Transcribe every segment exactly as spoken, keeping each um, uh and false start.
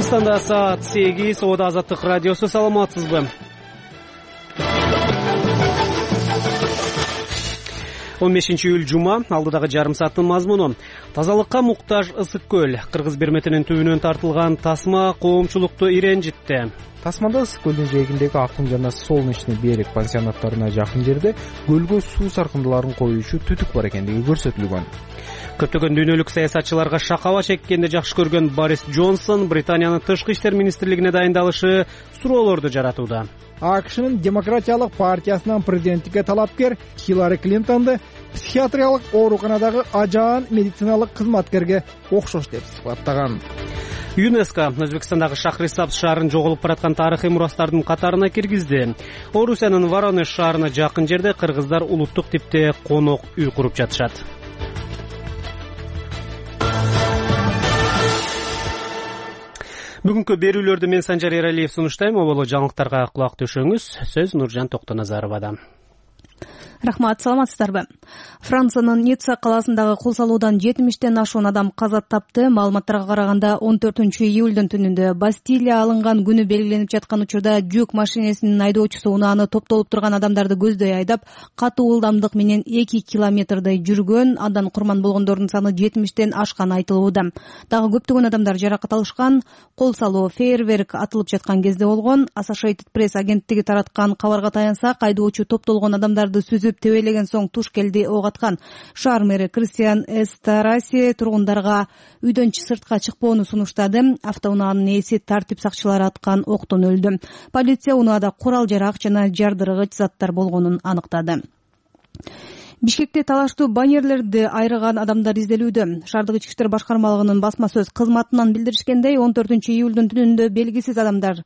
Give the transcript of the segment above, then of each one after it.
Өзбекстанда саат сегиз. Ода Азаттык радиосу. Саламатсызбы? он бешинчи июль жума. Алдыдагы жарым сааттын мазмуну: тазалыкка муктаж ысык көл. Кыргыз берметинин түбүнөн тартылган тасма коомчулукту иренжитти. Тасмада ысык көлдүн жээгиндеги Акын жана Солнечный берег пансионаттарына жакын жерде көлгө суу саркындыларын коюучу түтүк бар экендиги көрсөтүлгөн. Көптөгөн дүйнөлүк саясатчыларга шакаба чеккенди жакшы көргөн Борис Джонсон Британиянын тышкы иштер министрлигине дайындалышы суроолорду жаратууда. АКШнын демократиялык партиясынан президенттикке талапкер Хиллари Клинтонду психиатриялык ооруканадагы ажаан медициналык кызматкерге окшош деп сыпаттаган. ЮНЕСКО Өзбекстандагы Шахрисабз шаарын жоголуп бараткан тарыхый мурастардын катарына киргизди. Орусиянын Воронеж шаарына жакын жерде кыргыздар улуттук типте конок үй куруп жатышат. Бүгүнкү берүүлөрдү мен Санжар Эралиев сунуштайм. Оболо жаңылыктарга кулак төшөңүз. Сөз Нуржан Токтоназаровада. Рахмат, саламатсыздарбы? Франциянын Ницца калаасындагы кол салуудан жетимиштен ашуун адам каза тапты. Маалыматтарга караганда он төртүнчү июлдун түнүндө Бастилия алынган күнү белгиленип жаткан учурда жүк машинесинин айдоочусу унааны топтолуп турган адамдарды көздөй айдап, катуу ылдамдык менен эки километрдей жүргөн. Андан курман болгондордун саны жетимиштен ашканы айтылууда. Дагы көптөгөн адамдар жаракат алышкан. Кол салуу фейерверк атылып жаткан кезде болгон. Associated Press агенттиги тараткан кабарга таянсак, айдоочу топтолгон адамдарды сүзүп тебелеген соң туш келди ок аткан. Шаар мэри Кристиан Эстараси тургундарга үйдөн сыртка чыкпоону сунуштады. Автоунаанын ээси тартип сакчылары аткан октон өлдү. Полиция унаада курал-жарак жана жардыргыч заттар болгонун аныктады. Бишкекте талаштуу баннерлерди айрыган адамдар изделүүдө. Шаардык ички иштер башкармалыгынын басма сөз кызматынан билдиришкендей, он төртүнчү июлдун түнүндө белгисиз адамдар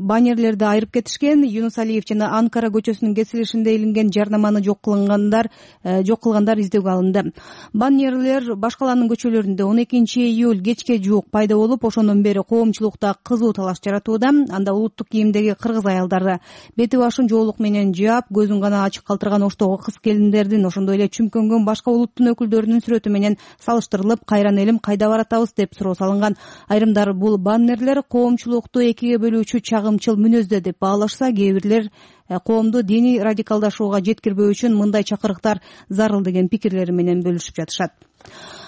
баннерлерди айрып кетишкен. Юнус Алиев жана Анкара көчөсүнүн кесилишинде илинген жарнаманы жок кылгандар жок кылгандар издөөгө алынды. Баннерлер баш калаанын көчөлөрүндө он экинчи июль кечке жуук пайда болуп, ошондон бери коомчулукта кызуу талаш жаратууда. Анда улуттук кийимдеги кыргыз аялдары бети башын жоолук менен жаап, көзүн гана ачык калтырган оштогу кыз келиндердин, ошондой эле чүмкөнгөн башка улуттун өкүлдөрүнүн сүрөтү менен салыштырылып, кайран элим кайда баратабыз деп суроо салынган. Айрымдар бул баннерлер коомчулукту экиге бөлүүчү чагымчыл мүнөздө деп баалашса, кээ бирлер коомду диний радикалдашууга жеткирбөө үчүн мындай чакырыктар зарыл деген пикирлери менен бөлүшүп жатышат.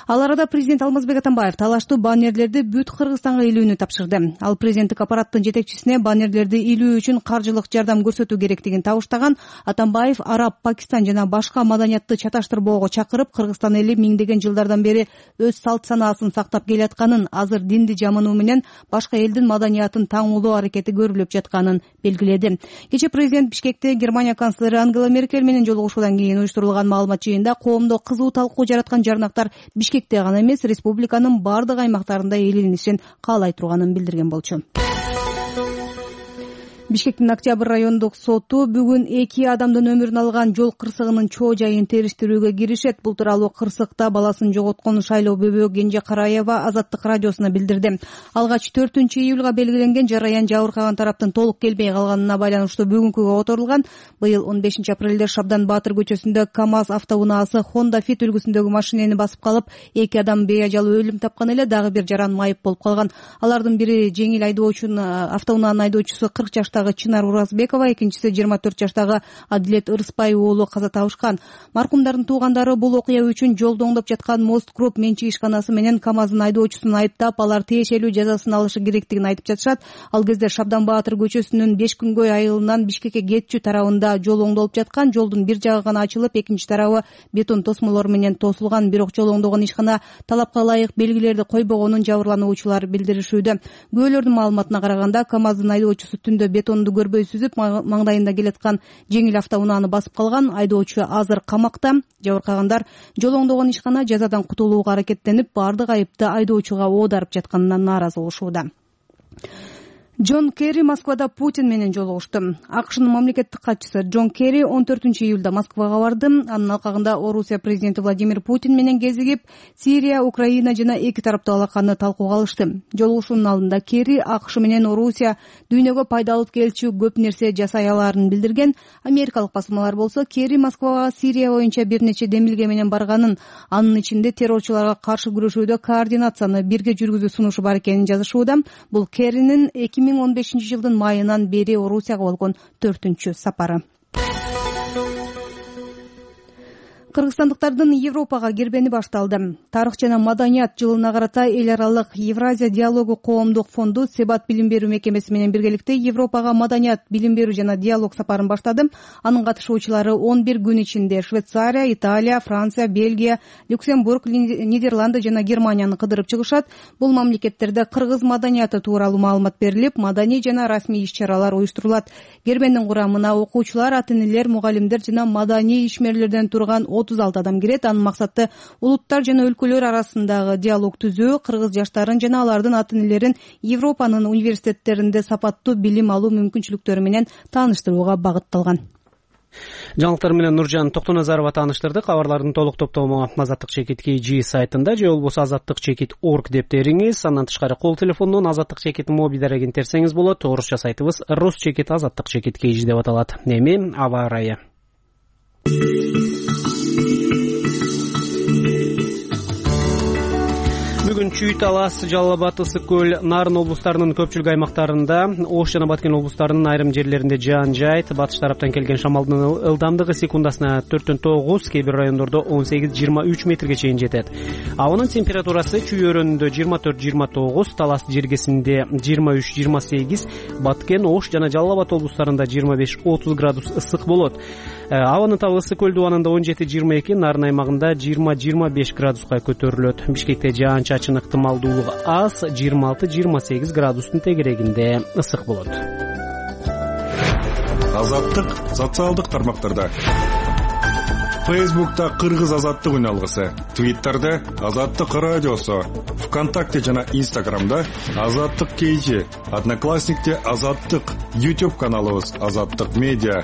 Ал арада президент Алмазбек Атамбаев талаштуу баннерлерди бүт Кыргызстанга илүүнү тапшырды. Ал президенттик аппараттын жетекчисине баннерлерди илүү үчүн каржылык жардам көрсөтүү керектигин табыштаган. Атамбаев Араб, Пакистан жана башка маданиятты чаташтырбоого чакырып, Кыргызстан эли миңдеген жылдардан бери өз салт санаасын сактап келатканын, азыр динди жамынуу менен башка элдин маданиятын таңуулоо аракети көрүлүп жатканын белгиледи. Кечээ президент Бишкекте Германия канцлери Ангела Меркель менен жолугушуудан кийин уюштурулган маалымат жыйында коомдо кызуу талкуу жараткан жарнактар Бишкекте гана эмес, республиканын бардык аймактарында ээленишин каалай турганын билдирген болчу. Бишкектин Октябрь райондук соту бүгүн эки адамдын өмүрүн алган жол кырсыгынын чоо жайын териштирүүгө киришет. Бул тууралуу кырсыкта баласын жоготкон Шайлоо Бөбө Кенже Караева Азаттык радиосуна билдирди. Алгач төртүнчү июлга белгиленген жараян жабыркаган тараптын толук келбей калганына байланыштуу бүгүнкүгө которулган. Быйыл он бешинчи апрелде Шабдан Баатыр көчөсүндө КАМАЗ автоунаасы Honda Fit үлгүсүндөгү машинени басып калып, эки адам бейажал өлүм тапкан эле, дагы бир жаран майып болуп калган. Алардын бири жеңил айдоочунун автоунаанын айдоочусу кырк жаштагы Чынар Уразбекова, экинчиси жыйырма төрт жаштагы Адилет Ырыспай уулу каза табышкан. Маркумдардын туугандары бул окуя үчүн жолдо оңдоп жаткан Мост Групп менчик ишканасы менен КАМАЗдын айдоочусун айыптап, алар тиешелүү жазасын алышы керектигин айтып жатышат. Ал кезде Шабдан Баатыр көчөсүнүн Бешкүнгөй айылынан Бишкекке кетчү тарабында жол оңдолуп жаткан. Жолдун бир жагы гана ачылып, экинчи тарабы бетон тосмолор менен тосулган. Бирок жол оңдогон ишкана талапка ылайык белгилерди койбогонун жабырлануучулар билдиришүүдө. Күбөлөрдүн маалыматына караганда, КАМАЗдын айдоочусу түндө бетон көрбөй сүзүп, маңдайында келаткан жеңил автоунааны басып калган. Айдоочу азыр камакта. Жабыркагандар жол оңдогон ишкана жазадан кутулууга аракеттенип, бардык айыпты айдоочуга оодарып жатканынан нааразы болушууда. Джон Керри Москвада Путин менен жолугушту. АКШнын мамлекеттик катчысы Джон Керри он төртүнчү июлда Москвага барды. Анын алкагында Орусия президенти Владимир Путин менен кезигип, Сирия, Украина жана эки тараптуу алаканы талкууга алышты. Жолугушуунун алдында Керри АКШ менен Орусия дүйнөгө пайдалуу келчү көп нерсе жасай алаарын билдирген. Америкалык басылмалар болсо Керри Москвага Сирия боюнча бир нече демилге менен барганын, анын ичинде террорчуларга каршы күрөшүүдө координацияны бирге жүргүзүү сунушу бар экенин жазышууда. Бул Керринин эки миң он бешинчи жылдын майынан бери Орусияга болгон төртүнчү сапары. Кыргызстандыктардын Европага кирбени башталды. Тарых жана маданият жылына карата эл аралык Евразия диалогу коомдук фонду Себат билим берүү мекемеси менен биргеликте Европага маданият, билим берүү жана диалог сапарын баштады. Анын катышуучулары он бир күн ичинде Швейцария, Италия, Франция, Бельгия, Люксембург, Нидерланды жана Германияны кыдырып чыгышат. Бул мамлекеттерде кыргыз маданияты тууралуу маалымат берилип, маданий жана расмий иш-чаралар уюштурулат. Кирбендин курамына окуучулар, ата-энелер, мугалимдер жана маданий ишмерлерден турган отуз алты адам кирет. Анын максаты улуттар жана өлкөлөр арасындагы диалог түзүү, кыргыз жаштарын жана алардын ата-энелерин Европанын университеттеринде сапаттуу билим алуу мүмкүнчүлүктөрү менен тааныштырууга багытталган. Жаңылыктар менен Нуржан Токтоназарова тааныштырдык. Кабарлардын толук топтому Азаттык чекит kg сайтында же болбосо азаттык чекит орг деп териңиз. Андан тышкары кол телефонунан азаттык чекит моби дарегин терсеңиз болот. Орусча сайтыбыз рус чекит азаттык чекит kg деп аталат. Эми аба ырайы. Бүгүн Чүй, Талас, Жалал Абад, Ысык көл, Нарын облустарынын көпчүлүк аймактарында, Ош жана Баткен облустарынын айрым жерлеринде жаан жайт. Батыш тараптан келген шамалдын ылдамдыгы секундасына төрттөн тогуз, кээ бир райондордо он сегиз жыйырма үч метрге чейин жетет. Абанын температурасы Чүй өрөөнүндө жыйырма төрт жыйырма тогуз, Талас жергесинде жыйырма үч жыйырма сегиз, Баткен, Ош жана Жалал Абад облустарында жыйырма беш отуз градус ысык болот. Абанын табы Ысык көл дубанында он жети жыйырма эки, Нарын аймагында жыйырма жыйырма беш градуска көтөрүлөт. Бишкекте жаан-чачын ыктымалдуулугу аз, жыйырма алты жыйырма сегиз градустун тегерегинде ысык болот. Азаттык социалдык тармактарда. Фейсбукта Кыргыз азаттык үналгысы, Твиттерде Азаттык радиосу, ВКонтакте жана Инстаграмда Азаттык kg, Одноклассникте Азаттык, YouTube каналыбыз Азаттык медиа.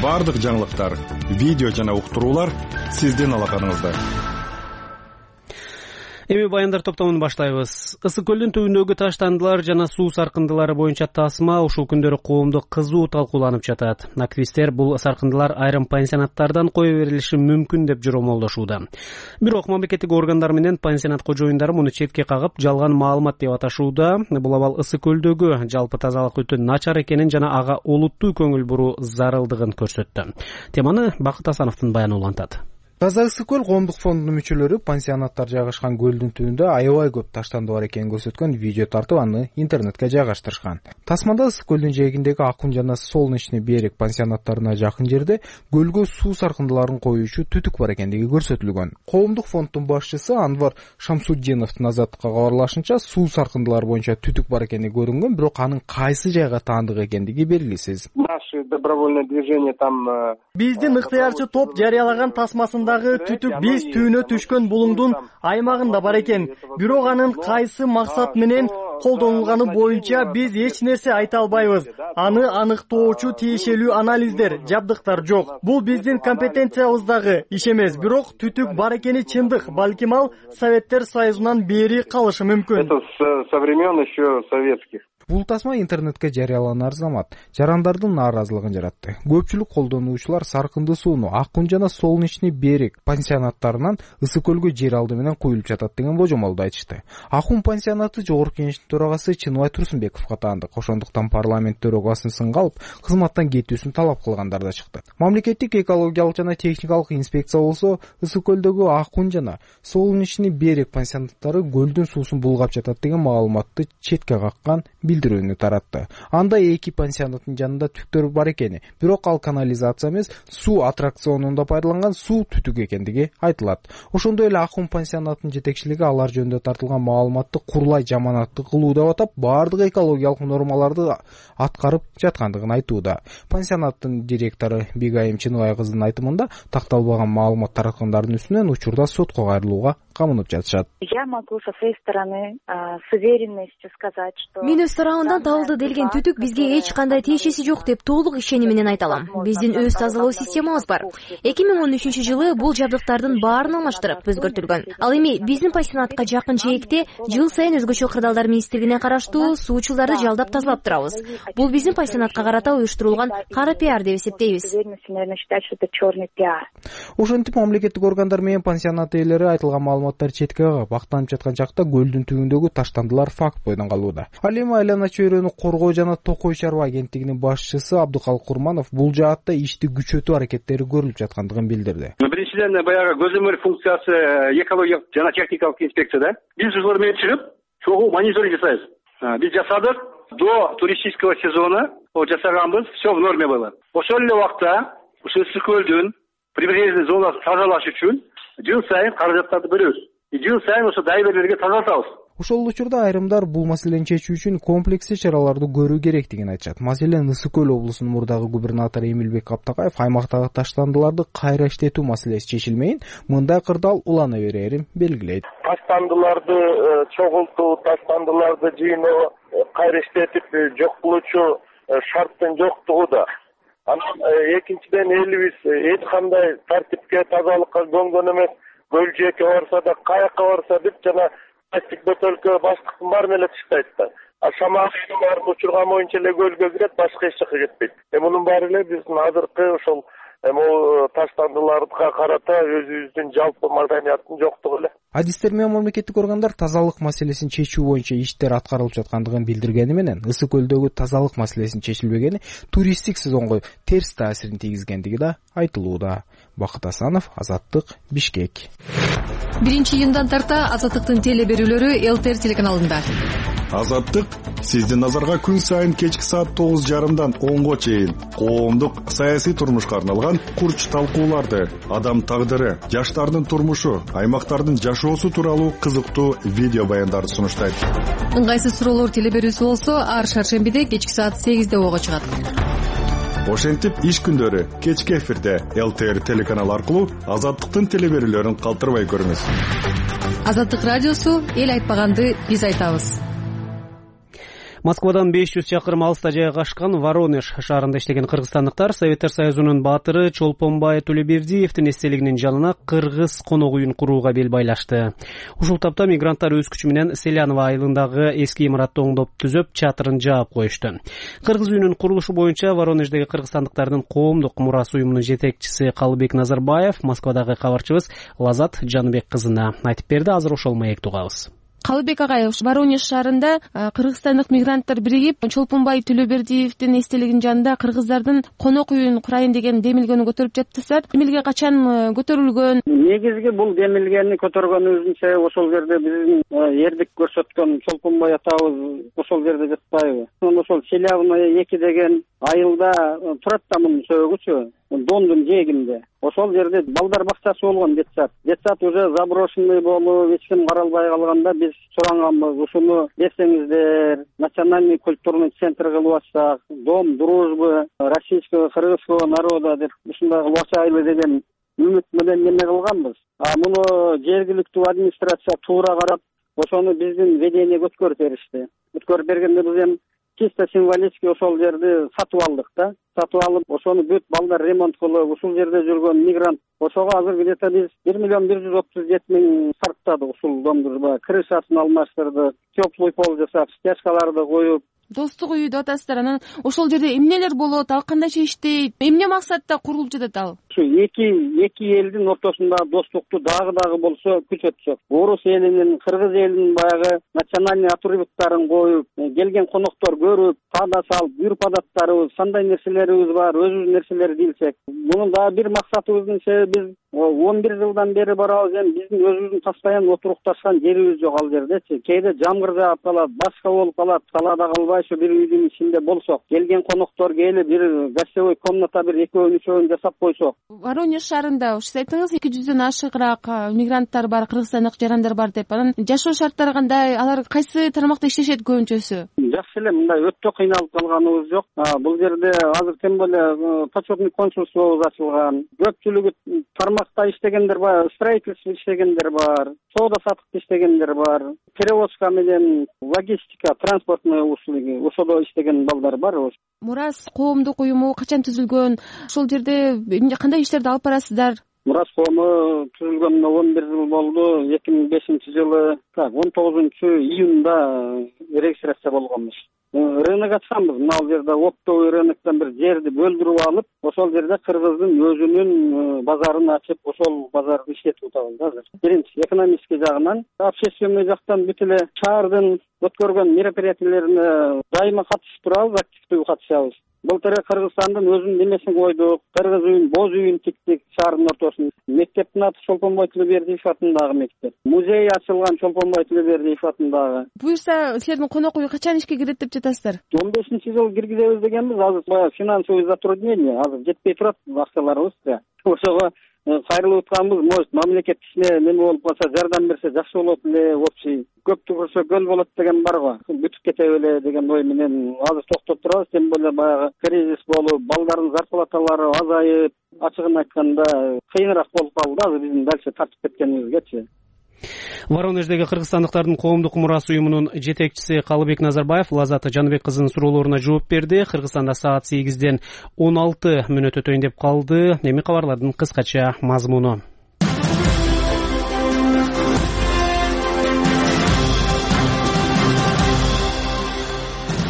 Бардык жаңылыктар, видео жана уктуруулар сиздин алаканыңызда. Эми баяндар топтомун баштайбыз. Ысык көлдүн түбүндөгү таштандылар жана суу саркындылары боюнча тасма ушул күндөрү коомдо кызуу талкууланып жатат. Активисттер бул саркындылар айрым пансионаттардан кое берилиши мүмкүн деп жоромолдошууда. Бирок мамлекеттик органдар менен пансионат кожоюндары муну четке кагып, жалган маалымат деп аташууда. Бул абал Ысык көлдөгү жалпы тазалык өтө начар экенин жана ага олуттуу көңүл буруу зарылдыгын көрсөттү. Теманы Бакыт Асановдун баяны улантат. Таза Ысык көл коомдук фондунун мүчөлөрү пансионаттар жайгашкан көлдүн түбүндө аябай көп таштанды бар экенин көрсөткөн видео тартып аны интернетке жайгаштырышкан. Тасмада Ысык көлдүн жээгиндеги Акун жана Солнечный берег пансионаттарына жакын жерде көлгө суу саркындыларын коюучу түтүк бар экендиги көрсөтүлгөн. Коомдук фонддун башчысы Анвар Шамсуддиновдун Азаттыкка кабарлашынча, суу саркындылары боюнча түтүк бар экени көрүнгөн, бирок анын кайсы жайга таандык экендиги белгисиз. Наше добровольное движение там биздин ыктыярчы топ жарыялаган тасмасында түтүк биз түйүнө түшкөн булуңдун аймагында бар экен. Бирок анын кайсы максат менен колдонулганы боюнча биз эч нерсе айта албайбыз. Аны аныктоочу тиешелүү анализдер, жабдыктар жок. Бул биздин компетенциябыздагы иш эмес. Бирок түтүк бар экени чындык. Балким ал Советтер Союзунан бери калышы мүмкүн. Это со времен еще советских. Бул тасма интернетке жарыяланар замат жарандардын нааразылыгын жаратты. Көпчүлүк колдонуучулар саркынды сууну Акун жана Солнечный берег пансионаттарынан Ысык көлгө жер алды менен куюлуп жатат деген божомолду айтышты. Акун пансионаты жогорку кеңештин төрагасы Чыныбай Турсунбековго таандык. Ошондуктан парламент төрагасынын сынга алып, кызматтан кетүүсүн талап кылгандар да чыкты. Мамлекеттик экологиялык жана техникалык инспекция болсо Ысык көлдөгү Акун жана Солнечный берег пансионаттары көлдүн суусун булгап жатат деген маалыматты четке каккан билдирүүнү таратты. Анда эки пансионаттын жанында түктөр бар экени, бирок ал канализация эмес, суу аттракционунда пайдаланган суу түтүк экендиги айтылат. Ошондой эле Акун пансионатынын жетекчилиги алар жөнүндө тартылган маалыматты курлай жаманаттык кылуу деп атап, бардык экологиялык нормаларды аткарып жаткандыгын айтууда. Пансионаттын директору Бегайым Чыныбай кызынын айтымында, такталбаган маалымат тараткандардын үстүнөн учурда сотко кайрылууга камынып жатышат. Я могу со своей стороны с уверенностью сказать, что мен өз тарабымдан табылды делген түтүк бизге эч кандай тиешеси жок деп толук ишеним менен айта алам. Биздин өз тазалоо системабыз бар. эки миң он үчүнчү жылы бул жабдыктардын баарын алмаштырып өзгөртүлгөн. Ал эми биздин пансионатка жакын жээкте жыл сайын өзгөчө кырдаалдар министрлигине караштуу суучулдарды жалдап тазалап турабыз. Бул биздин пансионатка карата уюштурулган кара пиар деп эсептейбиз. Ошентип мамлекеттик органдар менен пансионат ээлери айтылган маалыматтар четке кагып актанып жаткан жакта көлдүн түбүндөгү таштандылар факт бойдон калууда. Ал эми айлана чөйрөнү коргоо жана Токой чарба агенттигинин башчысы Абдыкалык Курманов бул жаатта ишти күчөтүү аракеттери көрүлүп жаткандыгын билдирди. Биринчиден баягы көзөмөл функциясы экологиялык жана техникалык инспекцияда биз ушулар менен чыгып чогуу мониторинг жасайбыз. Биз жасадык до туристического сезона жасаганбыз, все в норме было. Ошол эле убакта ушул Ысык көлдүн прибрежный зонасын тазалаш үчүн жыл сайын каражаттарды бөлөбүз. Жыл сайын ошо дайверлерге тазартабыз. Ошол учурда айрымдар бул маселени чечүү үчүн комплекстүү чараларды көрүү керектигин айтышат. Маселен Ысык көл облусунун мурдагы губернатору Эмилбек Каптакаев аймактагы таштандыларды кайра иштетүү маселеси чечилмейин мындай кырдаал улана берерин белгилейт. Таштандыларды чогултуу, таштандыларды жыйноо, кайра иштетип жок кылуучу шарттын жоктугу да. Анан экинчиден элибиз эч кандай тартипке, тазалыкка көнгөн эмес. Көл жээкке барса да, каякка барса деп жана пластик бөтөлкө баштыктын баары эле тыштайт да. А шамалдын баары учурган боюнча эле көлгө кирет, башка эч жака кетпейт. Эми мунун баары эле биздин азыркы ошол эми таштандыларга карата өзүбүздүн жалпы маданияттын жоктугу эле. Адистер менен мамлекеттик органдар тазалык маселесин чечүү боюнча иштер аткарылып жаткандыгын билдиргени менен Ысык көлдөгү тазалык маселесин чечилбегени туристтик сезонго терс таасирин тийгизгендиги да айтылууда. Бакыт Асанов, Азаттык, Бишкек. биринчи июндан тарта Азаттыктын теле берүүлөрү Эл Т Р телеканалында. Азаттык сиздин назарга күн сайын кечки саат тогуз жарымдан онго чейин коомдук саясий турмушка арналган курч талкууларды, адам тагдыры, жаштардын турмушу, аймактардын жашоосу тууралуу кызыктуу видео баяндарды сунуштайт. Ыңгайсыз суроолор теле берүүсү болсо ар шаршембиде кечки саат сегизде ого чыгат. Ошентип иш күндөрү кечки эфирде Эл Т Р телеканалы аркылуу Азаттыктын теле берүүлөрүн калтырбай көрүңүз. Азаттык радиосу эл айтпаганды биз айтабыз. Москвадан беш жүз чакырым алыста жайгашкан Воронеж шаарында иштеген кыргызстандыктар Советтер Союзунун баатыры Чолпонбай Төлөбердиевдин эстелигинин жанына кыргыз конок үйүн курууга бел байлашты. Ушул тапта мигранттар өз күчү менен Селянова айылындагы эски имаратты оңдоп түзөп, чатырын жаап коюшту. Кыргыз үйүнүн курулушу боюнча Воронеждеги кыргызстандыктардын коомдук мурас уюмунун жетекчиси Калыбек Назарбаев Москвадагы кабарчыбыз Лазат Жаныбек кызына айтып берди. Азыр ошол маекти угабыз. Калыбек агай, Воронеж шаарында кыргызстандык мигранттар биригип Чолпонбай Төлөбердиевдин эстелигинин жанында кыргыздардын конок үйүн курайын деген демилгени көтөрүп жатсыздар. Демилге качан көтөрүлгөн? Негизги бул демилгени көтөргөнүбүздүн себеби ошол жерде биздин эрдик көрсөткөн Чолпонбай атабыз ошол жерде жатпайбы? Ошол Селявная эки деген айылда турат да мунун сөөгүчү. Дондун жээгинде. Ошол жерде балдар бакчасы болгон детсад. Детсад уже заброшенный болуп, эч ким каралбай калганда биз суранганбыз. Ушуну берсеңиздер, национальный культурный центр кылып атсак, дом дружбы российского кыргызского народа деп ушундай кылып атайлы деген үмүт менен неме кылганбыз. А муну жергиликтүү администрация туура карап, ошону биздин ведениеге өткөрүп беришти. Өткөрүп бергенде биз эми чисто символически ошол жерди сатып алдык да. Сатып алып, ошону бүт балдар ремонт кылып, ушул жерде жүргөн мигрант. Ошого азыр где-то биз бир миллион бир жүз отуз жети миң сарптадык ушул домдурба. Крышасын алмаштырдык, теплый пол жасап, стяжкаларды коюп. Достук үйү деп атасыздар. Анан ошол жерде эмнелер болот, ал кандайча иштейт, эмне максатта курулуп жатат ал? Ушу эки эки элдин ортосунда достукту дагы дагы болсо күчөтсөк. Орус элинин, кыргыз элинин баягы национальный атрибуттарын коюп, келген коноктор көрүп, пада салып, бюрпадаттарыбыз, кандай нерселерибиз бар, өзүбүздүн нерселерди билсек. Мунун дагы бир максатыбыздын себеби биз он бир жылдан бери барабыз, эми биздин өзүбүздүн постоянно отурукташкан жерибиз жок ал жердечи. Кээде жамгыр жаап калат, башка болуп калат, талаада калбай ошо бир үйдүн ичинде болсок, келген коноктор келип бир гостевой комната бир экөөнү үчөөнү жасап койсок. Воронеж шаарында ушу айтыңыз эки жүздөн ашыгыраак мигранттар бар, кыргызстандык жарандар бар деп. Анан жашоо шарттары кандай? Алар кайсы тармакта иштешет көбүнчөсү? жакшы эле, мындай өтө кыйналып калганыбыз жок. Бул жерде азыр тем более почетный консульствобуз ачылган. Көпчүлүгү тармакта иштегендер бар, строительство иштегендер бар, соода саттыкта иштегендер бар, перевозка менен логистика, транспортный услуги, ошодо иштеген балдар бар. Мурас коомдук уюму качан түзүлгөн? Ошол жерде кандай иштерди алып барасыздар? Мурас коому түзүлгөнүнө он бир жыл болду. эки миң бешинчи жылы он тогузунчу июнда регистрация болгонбуз. Рынок ачканбыз. Мына жерде оптовый рыноктон бир жерди бөлдүрүп алып, ошол жерде кыргыздын өзүнүн базарын ачып, ошол базарды иштетип атабыз азыр. Биринчи экономический жагынан, общественный жактан бүт эле шаардын өткөргөн мероприятиелерине дайыма катышып турабыз, активдүү катышабыз. Былтыр Кыргызстандын өзүнүн немесин койдук, кыргыз үйүн, боз үйүн тиктик шаардын ортосунда. Мектептин аты Чолпонбой Тилебердиев атындагы мектеп. Музей ачылган Чолпонбой Тилебердиев атындагы. Буюрса, силердин конок үй качан ишке кирет деп жатасыздар? он бешинчи жыл киргизебиз дегенбиз. Азыр баягы финансовый затруднение, азыр жетпей турат акчаларыбыз. Ошого кайрылып атканбыз, может, мамлекет кичине неме болуп калса, жардам берсе жакшы болот эле, общий. Көп түгүрсө көл болот деген бар го. Бүтүп кетеби эле деген ой менен азыр токтоп турабыз. Тем более баягы кризис болуп, балдардын зарплаталары азайып, ачыгын айтканда кыйыныраак болуп калды азыр биздин дальше тартып кеткенибизгечи. Воронеждеги кыргызстандыктардын коомдук мурас уюмунун жетекчиси Калыбек Назарбаев Лазат Жаныбек кызынын суроолоруна жооп берди. Кыргызстанда саат сегизден он алты мүнөт өтөйүн деп калды. Эми кабарлардын кыскача мазмуну.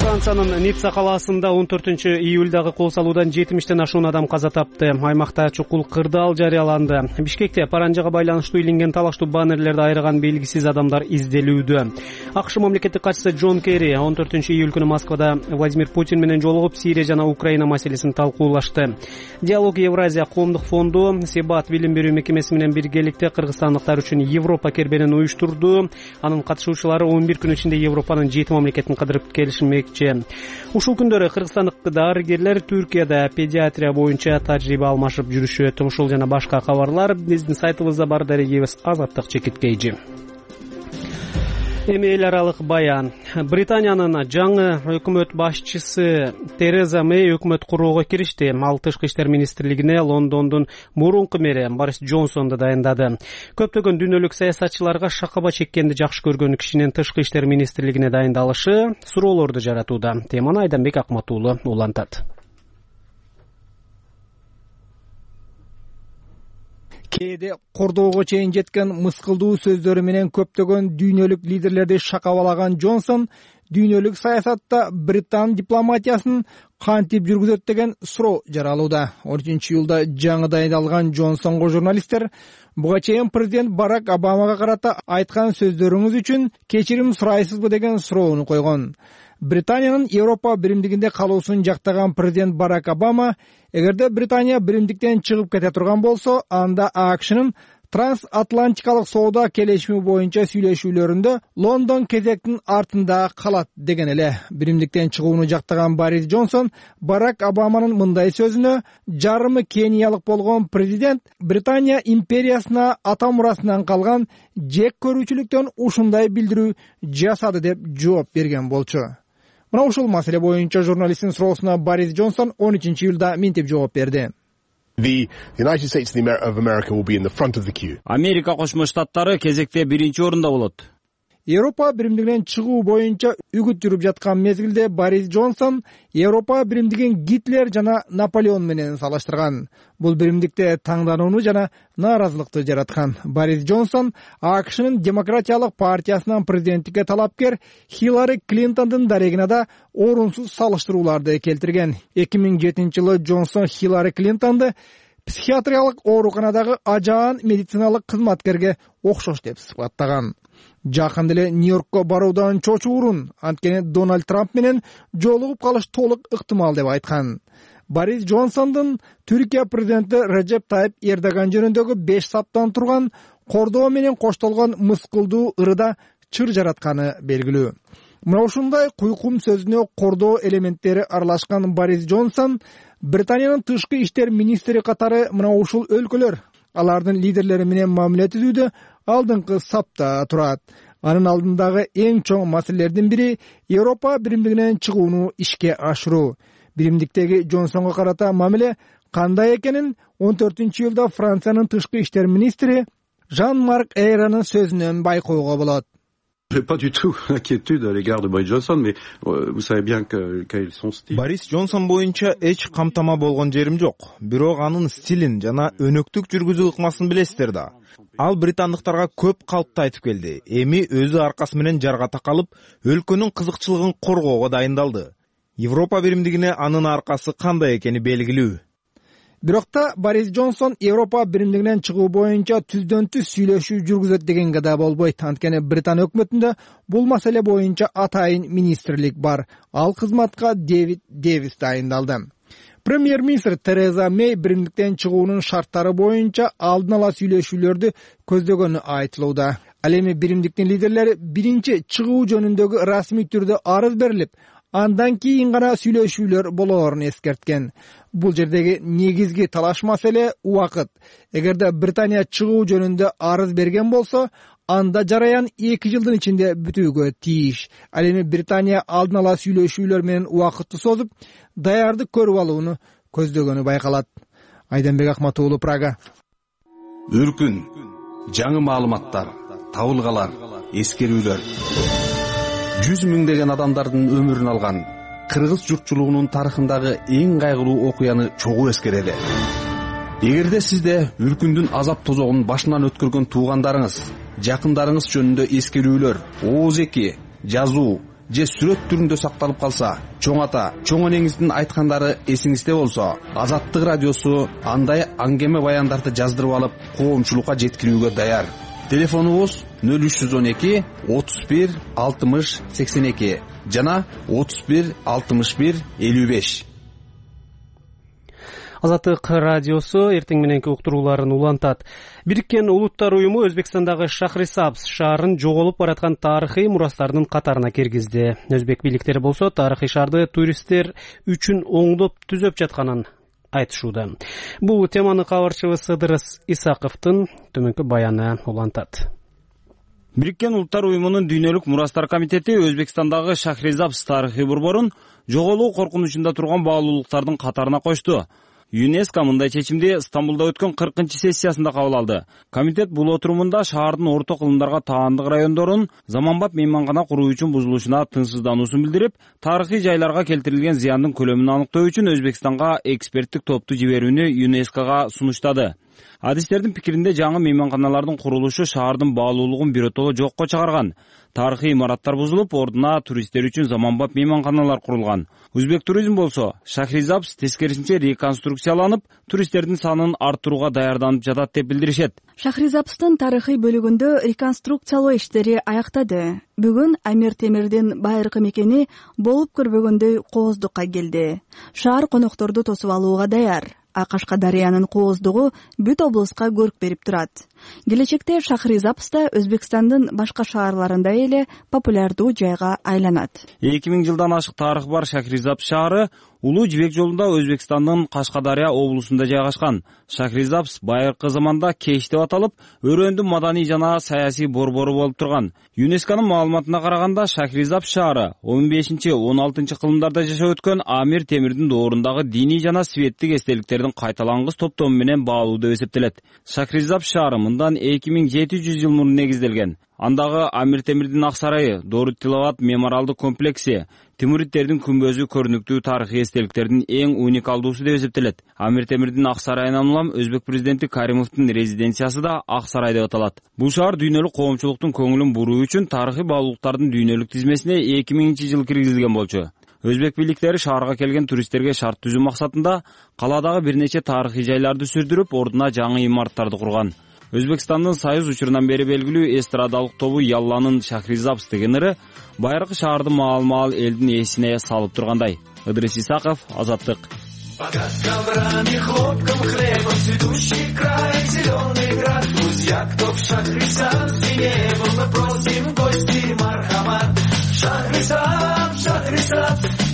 Франциянын Ницца калаасында он төртүнчү июлдагы кол салуудан жетимиштен ашуун адам каза тапты. Аймакта чукул кырдаал жарыяланды. Бишкекте паранжага байланыштуу илинген талаштуу баннерлерди айрыган белгисиз адамдар изделүүдө. АКШ мамлекеттик катчысы Джон Керри он төртүнчү июль күнү Москвада Владимир Путин менен жолугуп, Сирия жана Украина маселесин талкуулашты. Диалог Евразия коомдук фонду Себат билим берүү мекемеси менен биргеликте кыргызстандыктар үчүн Европа кербенин уюштурду. Анын катышуучулары он бир күн ичинде Европанын жети мамлекетин кыдырып келишмекчи. Ушул күндөрү кыргызстандык дарыгерлер Түркияда педиатрия боюнча тажрыйба алмашып жүрүшөт. Ушул жана башка кабарлар биздин сайтыбызда бар. Дарегибиз Азаттык Чекиткейжи. Эми эл аралык баян. Британиянын жаңы өкмөт башчысы Тереза Мэй өкмөт куруого киришти. Ал тышкы иштер министрлигине Лондондун мурунку мэри Борис Джонсонду дайындады. Көптөгөн дүйнөлүк саясатчыларга шакаба чеккенди жакшы көргөн кишинин тышкы иштер министрлигине дайындалышы суроолорду жаратууда. Теманы Айданбек Акматуулу улантат. Кээде кордоого чейин жеткен мыскылдуу сөздөрү менен көптөгөн дүйнөлүк лидерлерди шакабалаган Джонсон дүйнөлүк саясатта Британ дипломатиясын кантип жүргүзөт деген суроо жаралууда. он үчүнчү июлда жаңы дайындалган Джонсонго журналисттер буга чейин президент Барак Обамага карата айткан сөздөрүңүз үчүн кечирим сурайсызбы деген суроону койгон. Британиянын Европа биримдигинде калуусун жактаган президент Барак Обама, эгерде Британия биримдиктен чыгып кете турган болсо, анда АКШнын трансатлантикалык соода келишими боюнча сүйлөшүүлөрүндө Лондон кезектин артында калат деген эле. Биримдиктен чыгууну жактаган Борис Джонсон Барак Обаманын мындай сөзүнө жарымы кениялык болгон президент Британия империясына ата мурасынан калган жек көрүүчүлүктөн ушундай билдирүү жасады деп жооп берген болчу. Мына ушул маселе боюнча журналисттин суроосуна Борис Джонсон он үчүнчү июлда минтип жооп берди. Америка Кошмо Штаттары кезекте биринчи орунда болот. Европа биримдигинен чыгуу боюнча үгүт жүрүп жаткан мезгилде Борис Джонсон Европа биримдигин Гитлер жана Наполеон менен салыштырган. Бул биримдикте таңданууну жана нааразылыкты жараткан. Борис Джонсон АКШнын Демократиялык партиясынан президенттикке талапкер Хиллари Клинтондун дарегине да орунсуз салыштырууларды келтирген. эки миң жетинчи жылы Джонсон Хиллари Клинтонду психиатриялык ооруканадагы ажаан медициналык кызматкерге окшош деп сыпаттаган. Жакында эле Нью-Йоркко баруудан чочуурун, анткени Дональд Трамп менен жолугуп калыш толук ыктымал деп айткан. Борис Джонсондун Түркия президенти Режеп Тайип Эрдоган жөнүндөгү беш саптан турган кордоо менен коштолгон мыскылдуу ырыда чыр жаратканы белгилүү. Мына ушундай куйкум сөзүнө кордоо элементтери аралашкан Борис Джонсон Британиянын тышкы иштер министри катары мына ушул өлкөлөр алардын лидерлери менен мамиле түзүүдө алдыңкы сапта турат. Анын алдындагы эң чоң маселелердин бири Европа биримдигинен чыгууну ишке ашыруу. Биримдиктеги Джонсонго карата мамиле кандай экенин он төртүнчү июлда Франциянын тышкы иштер министри Жан-Марк Эйранын сөзүнөн байкоого болот. Pas du tout inquiétude à l'égard de Boris Johnson, mais vous savez bien que quel est son style. Борис Джонсон боюнча эч камтама болгон жерим жок. Бирок анын стилин жана өнөктүк жүргүзүү ыкмасын билесиздер да. Ал британдыктарга көп калпты айтып келди. Эми өзү аркасы менен жарга такалып, өлкөнүн кызыкчылыгын коргоого дайындалды. Европа биримдигине анын аркасы кандай экени белгилүү. Бирок та Борис Джонсон Европа биримдигинен чыгуу боюнча түздөн түз сүйлөшүү жүргүзөт дегенге да болбойт. Анткени Британ өкмөтүндө бул маселе боюнча атайын министрлик бар. Ал кызматка Дэвид Дэвис дайындалды. Премьер-министр Тереза Мэй биримдиктен чыгуунун шарттары боюнча алдын ала сүйлөшүүлөрдү көздөгөнү айтылууда. Ал эми биримдиктин лидерлери биринчи чыгуу жөнүндөгү расмий түрдө арыз берилип, андан кийин гана сүйлөшүүлөр болоорун эскерткен. Бул жердеги негизги талаш маселе убакыт. Эгерде Британия чыгуу жөнүндө арыз берген болсо, анда жараян эки жылдын ичинде бүтүүгө тийиш. Ал эми Британия алдын ала сүйлөшүүлөр менен убакытты созуп, даярдык көрүп алууну көздөгөнү байкалат. Айданбек Акматуулу, Прага. Үркүн, жаңы маалыматтар, табылгалар, эскерүүлөр. Жүз миңдеген адамдардын өмүрүн алган кыргыз журтчулугунун тарыхындагы эң кайгылуу окуяны чогуу эскерели. Эгерде сизде үркүндүн азап тозогун башынан өткөргөн туугандарыңыз, жакындарыңыз жөнүндө эскерүүлөр, ооз эки, жазуу же сүрөт түрүндө сакталып калса, чоң ата, чоң энеңиздин айткандары эсиңизде болсо, Азаттык радиосу андай аңгеме баяндарды жаздырып алып, коомчулукка жеткирүүгө даяр. Телефонубуз нөл үч жүз он эки отуз бир алтымыш сексен эки жана отуз бир алтымыш бир элүү беш. Азаттык радиосу эртең мененки уктурууларын улантат. Бириккен Улуттар уюму Өзбекстандагы Шахрисабз шаарын жоголуп бараткан тарыхый мурастардын катарына киргизди. Өзбек бийликтери болсо тарыхый шаарды туристтер үчүн оңдоп түзөп жатканын айтышууда. Бул теманы кабарчыбыз Ыдырыс Исаковдун төмөнкү баяны улантат. Бириккен Улуттар уюмунун Дүйнөлүк мурастар комитети Өзбекстандагы Шахрисабз тарыхый борборун жоголуу коркунучунда турган баалуулуктардын катарына кошту. ЮНЕСКО мындай чечимди Стамбулда өткөн кыркынчы сессиясында кабыл алды. Комитет бул отурумунда шаардын орто кылымдарга таандык райондорун заманбап мейманкана куруу үчүн бузулушуна тынчсыздануусун билдирип, тарыхый жайларга келтирилген зыяндын көлөмүн аныктоо үчүн Өзбекстанга эксперттик топту жиберүүнү ЮНЕСКОга сунуштады. Адистердин пикиринде жаңы мейманканалардын курулушу шаардын баалуулугун биротоло жокко чыгарган. Тарыхый имараттар бузулуп, ордуна туристтер үчүн заманбап мейманканалар курулган. Өзбек туризм болсо, Шахрисабз тескерисинче реконструкцияланып, туристтердин санын арттырууга даярданып жатат деп билдиришет. Шахрисабздын тарыхый бөлүгүндө реконструкциялоо иштери аяктады. Бүгүн Амир Темирдин байыркы мекени болуп көрбөгөндөй кооздукка келди. Шаар конокторду тосуп алууга даяр. А Кашкадарыянын кооздугу бүт облуска көрк берип турат. Келечекте Шахрисабз да Өзбекстандын башка шаарларында эле популярдуу жайга айланат. эки миң жылдан ашык тарыхы бар Шахрисабз шаары Улуу Жибек жолунда Өзбекстандын Кашкадария облусунда жайгашкан. Шахрисабз байыркы заманда Кеш деп аталып, өрөөндүн маданий жана саясий борбору болуп турган. ЮНЕСКОнун маалыматына караганда, Шахрисабз шаары он бешинчи он алтынчы кылымдарда жашап өткөн Амир Темирдин доорундагы диний жана светтик эстеликтердин кайталангыс топтому менен баалуу деп эсептелет. Шахрисабз шаары мындан эки миң жети жүз жыл мурун негизделген. Андагы Амир Темирдин ак сарайы, Дорут Тилават мемориалдык комплекси, Тимуриддердин күмбөзү көрүнүктүү тарыхый эстеликтердин эң уникалдуусу деп эсептелет. Амир Темирдин ак сарайынан улам Өзбек президенти Каримовдун резиденциясы да ак сарай деп аталат. Бул шаар дүйнөлүк коомчулуктун көңүлүн буруу үчүн тарыхый баалуулуктардын дүйнөлүк тизмесине эки миңинчи жылы киргизилген болчу. Өзбек бийликтери шаарга келген туристтерге шарт түзүү максатында калаадагы бир нече тарыхый жайларды сүрдүрүп, ордуна жаңы имараттарды курган. Өзбекстандын Союз учурунан бери белгилүү эстрадалык тобу Ялланын Шахрисабз деген ыры байыркы шаарды маал-маал элдин эсине салып тургандай. Ыдырыс Исаков, Азаттык.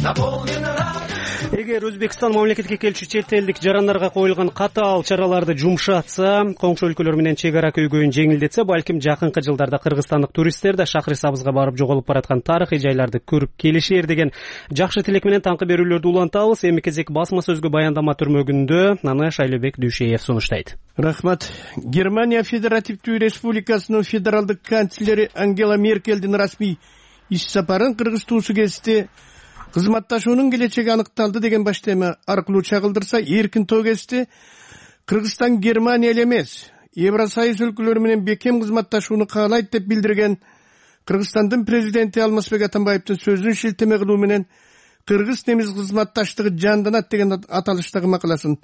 эгер Өзбекстан мамлекетке келчү чет элдик жарандарга коюлган катаал чараларды жумшатса, коңшу өлкөлөр менен чек ара көйгөйүн жеңилдетсе, балким жакынкы жылдарда кыргызстандык туристтер да Шахрисабзга барып жоголуп бараткан тарыхый жайларды көрүп келишер деген жакшы тилек менен таңкы берүүлөрдү улантабыз. Эми кезек басма сөзгө баяндама түрмөгүндө, аны Шайлебек Дүйшеев сунуштайт. Рахмат. Германия Федеративдүү Республикасынын федералдык канцлери Ангела Меркелдин расмий иш сапарын Кыргыз туусу кести. Кызматташуунун келечеги аныкталды деген баштема аркылуу чагылдырса, эркин тоо кести. Кыргызстан Германия эле эмес, Евросоюз өлкөлөрү менен бекем кызматташууну каалайт деп билдирген Кыргызстандын президенти Алмазбек Атамбаевдин сөзүн шилтеме кылуу менен кыргыз-немис кызматташтыгы жанданат деген аталыштагы макаласын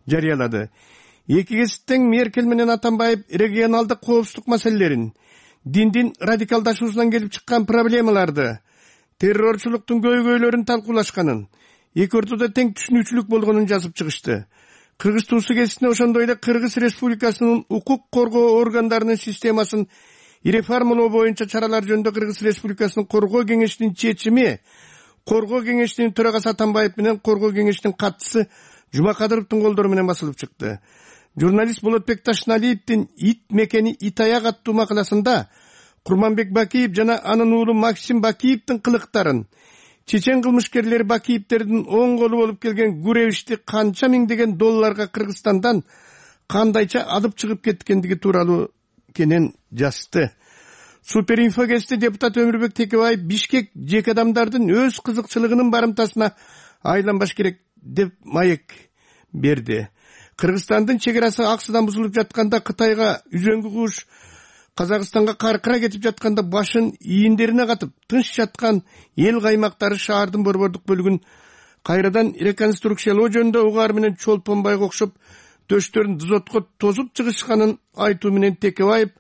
жарыялады. Эки кесиптен Меркель менен Атамбаев регионалдык коопсуздук маселелерин, диндин радикалдашуусунан келип чыккан проблемаларды, террорчулуктун көйгөйлөрүн талкуулашканын, эки ортодо тең түшүнүүчүлүк болгонун жазып чыгышты. Кыргыз туусу кесине ошондой эле Кыргыз Республикасынын укук коргоо органдарынын системасын реформалоо боюнча чаралар жөнүндө Кыргыз Республикасынын коргоо кеңешинин чечими, коргоо кеңешинин төрагасы Атамбаев менен коргоо кеңешинин катчысы Жумакадыровдун колдору менен басылып чыкты. Журналист Болотбек Ташналиевдин «Ит мекени Итаяк» аттуу макаласында Курманбек Бакиев жана анын уулу Максим Бакиевдин кылыктарын, чечен кылмышкерлери Бакиевдердин оң колу болуп келген Гуревичти канча миңдеген долларга Кыргызстандан кандайча алып чыгып кеткендиги тууралуу кенен жазды. Суперинфо кести депутат Өмүрбек Текебаев Бишкек жеке адамдардын өз кызыкчылыгынын барымтасына айланбаш керек деп маек берди. Кыргызстандын чек арасы аксыдан бузулуп жатканда, Кытайга үзөңгү куш, Казакстанга каркыра кетип жатканда башын ийиндерине катып тынч жаткан эл каймактары шаардын борбордук бөлүгүн кайрадан реконструкциялоо жөнүндө угаар менен Чолпонбайга окшоп төштөрүн дызотко тозуп чыгышканын айтуу менен Текебаев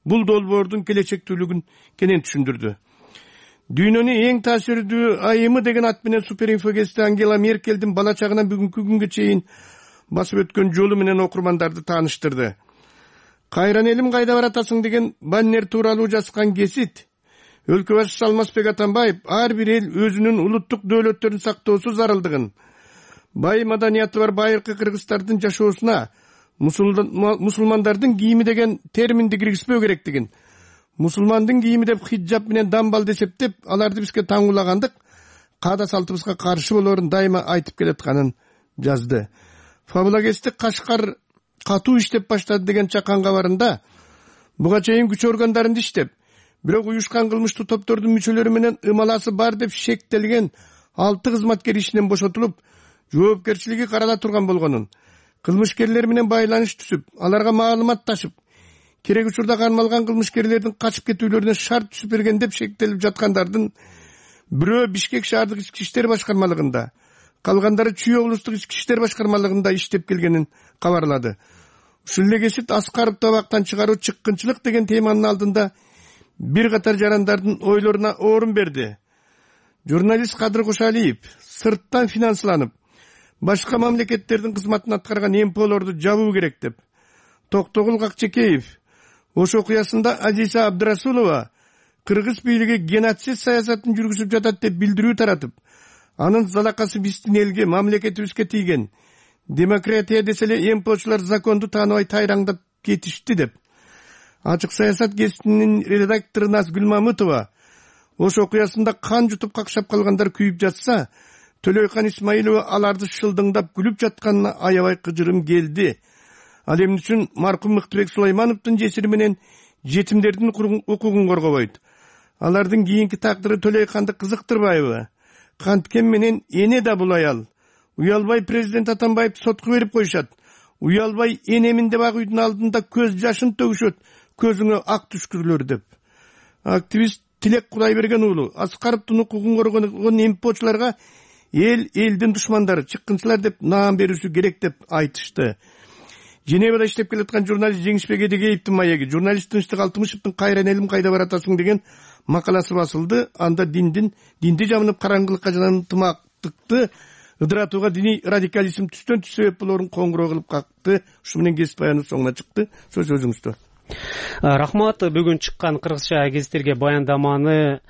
бул долбоордун келечектүүлүгүн кенен түшүндүрдү. Дүйнөнүн эң таасирдүү айымы деген ат менен Суперинфо кести Ангела Меркелдин бала чагынан бүгүнкү күнгө чейин басып өткөн жолу менен окурмандарды тааныштырды. Кайран элим кайда баратасың деген баннер тууралуу жазган кесит өлкө башчысы Алмазбек Атамбаев ар бир эл өзүнүн улуттук дөөлөттөрүн сактоосу зарылдыгын, бай маданияты бар байыркы кыргыздардын жашоосуна мусулмандардын кийими деген терминди киргизбөө керектигин, мусулмандын кийими деп хиджаб менен дамбалды эсептеп, аларды бизге таңуулагандык каада салтыбызга каршы болоорун дайыма айтып келатканын жазды. Фабулагести Кашкар катуу иштеп баштады деген чакан кабарында буга чейин күч органдарында иштеп, бирок уюшкан кылмыштуу топтордун мүчөлөрү менен ымаласы бар деп шектелген алты кызматкер ишинен бошотулуп, жоопкерчилиги карала турган болгонун, кылмышкерлер менен байланыш түзүп, аларга маалымат ташып, керек учурда кармалган кылмышкерлердин качып кетүүлөрүнө шарт түзүп берген деп шектелип жаткандардын бирөө Бишкек шаардык ички иштер башкармалыгында, калгандары Чүй облустук ички иштер башкармалыгында иштеп келгенин кабарлады. Ушул эле кесип Аскаров табактан чыгаруу чыккынчылык деген теманын алдында бир катар жарандардын ойлоруна орун берди. Журналист Кадыр Кошалиев сырттан финансланып, башка мамлекеттердин кызматын аткарган эмполорду жабуу керек деп, Токтогул Какчекеев ош окуясында Азиза Абдрасулова кыргыз бийлиги геноцид саясатын жүргүзүп жатат деп билдирүү таратып, анын залакасы биздин элге, мамлекетибизге тийген, демократия десе эле эмполчулар законду тааныбай тайраңдап кетишти деп. Ачык саясат гезитинин редактору Назгүл Мамытова ош окуясында кан жутуп какшап калгандар күйүп жатса, Төлөйкан Исмаилова аларды шылдыңдап күлүп жатканына аябай кыжырым келди. Ал эмне үчүн маркум Мыктыбек Сулаймановдун жесири менен жетимдердин укугун коргобойт? Алардын кийинки тагдыры Төлөйканды кызыктырбайбы? Канткен менен эне да бул аял. Уялбай президент Атамбаев сотко берип коюшат. Уялбай энемин деп ак үйдүн алдында көз жашын төгүшөт, көзүңө ак түшкүрлөр деп. Активист Тилек Кудайберген уулу Аскаровдун укугун коргон эмпочуларга эл элдин душмандары, чыккынчылар деп наам берүүсү керек деп айтышты. Женевада иштеп келаткан журналист Жеңишбек Эдегеевдин маеги, журналист Тынчтык Алтымышевдин «Кайран элим кайда баратасың» деген макаласы басылды. Анда диндин динди жабынып караңгылыкка жана ынтымактыкты ыдыратууга диний радикализм түстөн түс себеп болоорун коңгуроо кылып какты. Ушу менен кесип баяны соңуна чыкты. Сөз өзүңүздө. Рахмат. Бүгүн чыккан кыргызча гезиттерге баяндаманы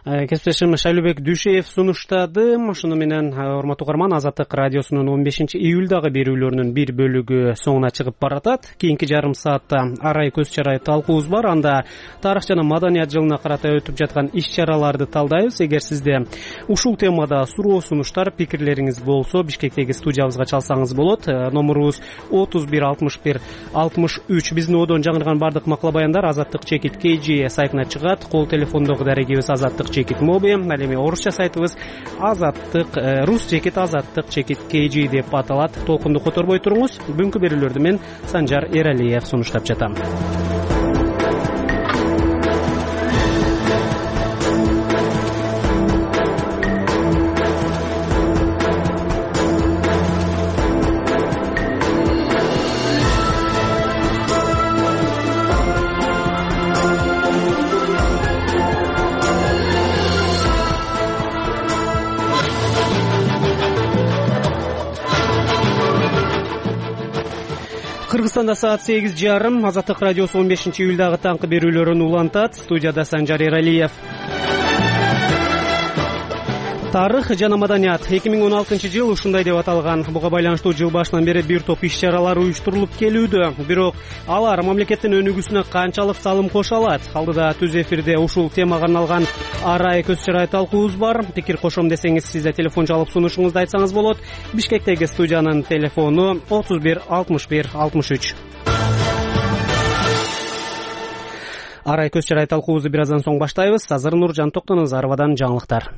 кесиптешим Шайлообек Дүйшеев сунуштады. Ошону менен урматтуу угарман, Азаттык радиосунун он бешинчи июлдагы берүүлөрүнүн бир бөлүгү соңуна чыгып баратат. Кийинки жарым саатта арай көз чарай талкуубуз бар. Анда тарых жана маданият жылына карата өтүп жаткан иш-чараларды талдайбыз. Эгер сизде ушул темада суроо, сунуштар, пикирлериңиз болсо, Бишкектеги студиябызга чалсаңыз болот. Номурубуз отуз бир алтымыш бир алтымыш үч. Биздин одон жаңырган бардык макала баяндар Азаттык чекит кей джи сайтына чыгат. Кол телефондогу дарегибиз Азаттык чекит моби. Ал эми орусча сайтыбыз Азаттык рус чекит Азаттык чекит кей джи деп аталат. Толкунду которбой туруңуз. Бүгүнкү берүүлөрдү мен Санжар Эралиев сунуштап жатам. Кыргызстанда саат сегиз жарым. Азаттык радиосу он бешинчи июлдагы таңкы берүүлөрүн улантат. Студияда Санжар Эралиев. Тарых жана маданият эки миң он алтынчы жыл ушундай деп аталган. Буга байланыштуу жыл башынан бери бир топ иш-чаралар уюштурулуп келүүдө. Бирок алар мамлекеттин өнүгүүсүнө канчалык салым кошо алат? Алдыда түз эфирде ушул темага арналган арай көз чарай талкуубуз бар. Пикир кошом десеңиз, сиз да телефон чалып сунушуңузду айтсаңыз болот. Бишкектеги студиянын телефону отуз бир алтымыш бир алтымыш үч. Арай көз чарай талкуубузду бир аздан соң баштайбыз. Азыр Нуржан Токтоназаровадан жаңылыктар.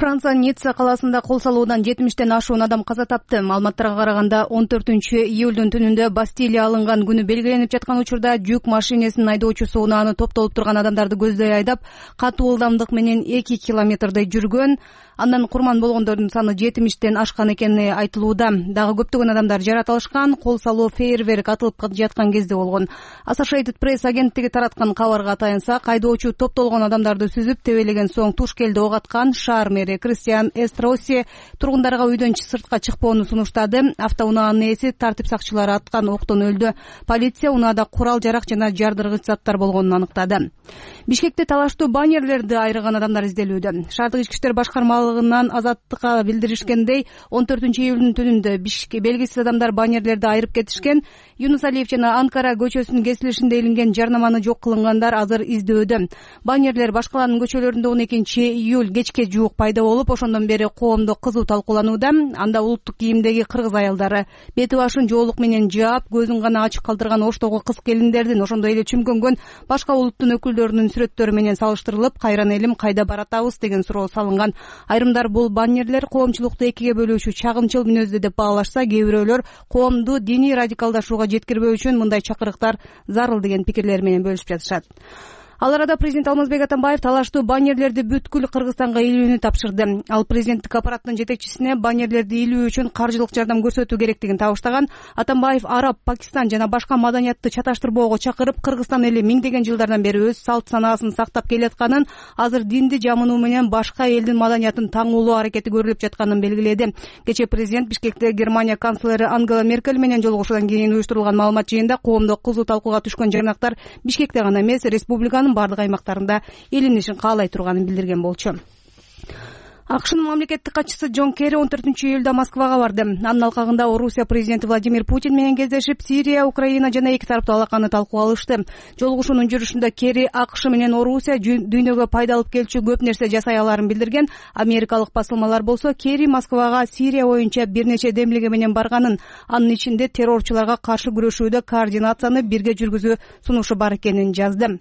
Франция Ницца каласында кол салуудан жетимиштен ашуун адам каза тапты. Маалыматтарга караганда он төртүнчү июлдун түнүндө Бастилия алынган күнү белгиленип жаткан учурда жүк машинесинин айдоочусу унааны топтолуп турган адамдарды көздөй айдап, катуу ылдамдык менен эки километрдей жүргөн. Андан курман болгондордун саны жетимиштен ашкан экени айтылууда. Дагы көптөгөн адамдар жаратылышкан. Кол салуу фейерверк атылып жаткан кезде болгон. Associated Press агенттиги тараткан кабарга таянсак, айдоочу топтолгон адамдарды сүзүп тебелеген соң туш келди ок аткан. Шаар мэри Кристиан Эстроси тургундарга үйдөн сыртка чыкпоону сунуштады. Автоунаанын ээси тартип сакчылары аткан октон өлдү. Полиция унаада курал жарак жана жардыргыч заттар болгонун аныктады. Бишкекте талаштуу баннерлерди айрыган адамдар изделүүдө. Шаардык ички иштер башкармалыгынан Азаттыкка билдиришкендей, он төртүнчү июлдун түнүндө Бишкек белгисиз адамдар баннерлерди айрып кетишкен. Юнус Алиев жана Анкара көчөсүнүн кесилишинде илинген жарнаманы жок кылынгандар азыр издөөдө. Баннерлер башкалардын көчөлөрүндө он экинчи июль кечке жуук пайда болуп, ошондон бери коомдо кызуу талкууланууда. Анда улуттук кийимдеги кыргыз аялдары бети башын жоолук менен жаап, көзүн гана ачык калтырган оштогу кыз келиндердин, ошондой эле чүмкөнгөн башка улуттун өкүлдөрүнүн сүрөттөрү менен салыштырылып, кайран элим кайда баратабыз деген суроо салынган. Айрымдар бул баннерлер коомчулукту экиге бөлүүчү чагымчыл мүнөздүү деп баалашса, кээ бирөөлөр коомду диний радикалдашууга жеткирбөө үчүн мындай чакырыктар зарыл деген пикирлер менен бөлүшүп жатышат. Ал арада президент Алмазбек Атамбаев талаштуу баннерлерди бүткүл Кыргызстанга илүүнү тапшырды. Ал президенттик аппараттын жетекчисине баннерлерди илүү үчүн каржылык жардам көрсөтүү керектигин табыштаган. Атамбаев Араб, Пакистан жана башка маданиятты чаташтырбоого чакырып, Кыргызстан эли миңдеген жылдардан бери өз салт санаасын сактап келатканын, азыр динди жамынуу менен башка элдин маданиятын таңуулоо аракети көрүлүп жатканын белгиледи. Кечээ президент Бишкекте Германия канцлери Ангела Меркель менен жолугушуудан кийин уюштурулган маалымат жыйында коомдо кызуу талкууга түшкөн жайнактар Бишкекте гана эмес, республиканын бардык аймактарында илинишин каалай турганын билдирген болчу. АКШнын мамлекеттик катчысы Джон Керри он төртүнчү июлда Москвага барды. Анын алкагында Орусия президенти Владимир Путин менен кездешип, Сирия, Украина жана эки тараптуу алаканы талкуу алышты. Жолугушуунун жүрүшүндө Керри АКШ менен Орусия дүйнөгө пайда алып келчү көп нерсе жасай аларын билдирген. Америкалык басылмалар болсо Керри Москвага Сирия боюнча бир нече демилге менен барганын, анын ичинде террорчуларга каршы күрөшүүдө координацияны бирге жүргүзүү сунушу бар экенин жазды.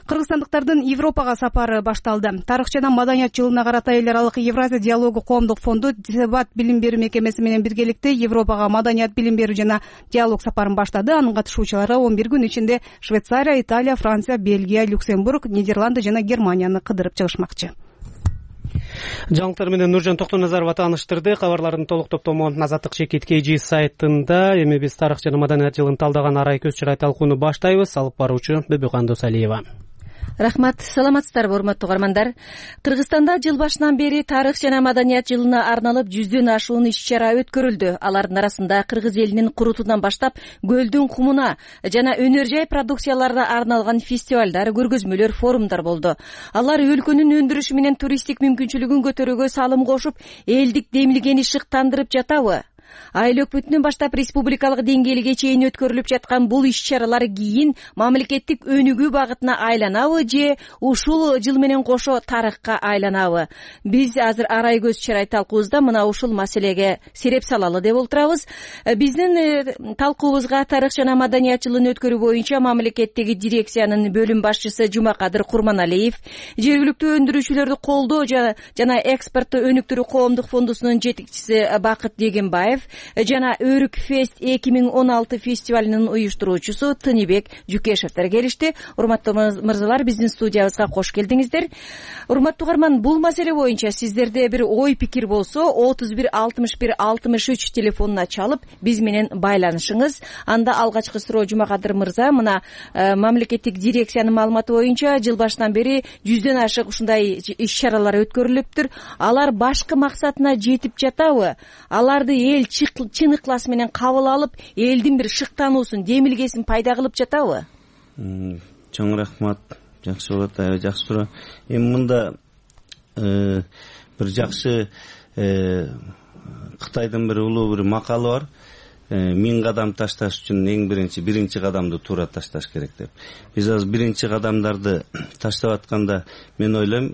Кыргызстандыктардын Европага сапары башталды. Тарых жана маданият жылына карата эл аралык Евразия диалогу коомдук фонду Дебат билим берүү мекемеси менен биргеликте Европага маданият билим берүү жана диалог сапарын баштады. Анын катышуучулары он бир күн ичинде Швейцария, Италия, Франция, Бельгия, Люксембург, Нидерланды жана Германияны кыдырып чыгышмакчы. Жаңылыктар менен Нуржан Токтоназарова тааныштырды. Кабарлардын толук топтому Азаттык чекит кей джи сайтында. Эми биз тарых жана маданият жылын талдаган арай көз чарай талкууну баштайбыз. Алып баруучу Бөбөкан Досалиева. Рахмат, саламатсыздарбы урматтуу угармандар. Кыргызстанда жыл башынан бери тарых жана маданият жылына арналып жүздөн ашуун иш-чара өткөрүлдү. Алардын арасында кыргыз элинин курутунан баштап көлдүн кумуна жана өнөр жай продукцияларына арналган фестивалдар, көргөзмөлөр, форумдар болду. Алар өлкөнүн өндүрүшү менен туристтик мүмкүнчүлүгүн көтөрүүгө салым кошуп, элдик демилгени шыктандырып жатабы? Айыл өкмөтүнөн баштап республикалык деңгээлге чейин өткөрүлүп жаткан бул иш-чаралар кийин мамлекеттик өнүгүү багытына айланабы же ушул жыл менен кошо тарыхка айланабы? Биз азыр арай көз чарай талкуубузда мына ушул маселеге сереп салалы деп отурабыз. Биздин талкуубузга тарых жана маданият жылын өткөрүү боюнча мамлекеттеги дирекциянын бөлүм башчысы Жумакадыр Курманалиев, жергиликтүү өндүрүүчүлөрдү колдоо жана экспортту өнүктүрүү коомдук фондусунун жетекчиси Бакыт Дегенбаев жана Өрүк фест эки миң он алты фестивалынын уюштуруучусу Тыныбек Жүкешевдер келишти. Урматтуу мырзалар, биздин студиябызга кош келдиңиздер. Урматтуу угарман, бул маселе боюнча сиздерде бир ой пикир болсо отуз бир алтымыш бир алтымыш үч телефонуна чалып биз менен байланышыңыз. Анда алгачкы суроо Жумакадыр мырза, мына мамлекеттик дирекциянын маалыматы боюнча жыл башынан бери жүздөн ашык ушундай иш-чаралар өткөрүлүптүр. Алар башкы максатына жетип жатабы? Аларды эл чын ыклас менен кабыл алып, элдин бир шыктануусун, демилгесин пайда кылып жатабы? Чоң рахмат. Жакшы болот, аябай жакшы суроо. Эми мында бир жакшы Кытайдын бир улуу бир макалы бар. Миң кадам ташташ үчүн эң биринчи биринчи кадамды туура ташташ керек деп. Биз азыр биринчи кадамдарды таштап атканда мен ойлойм,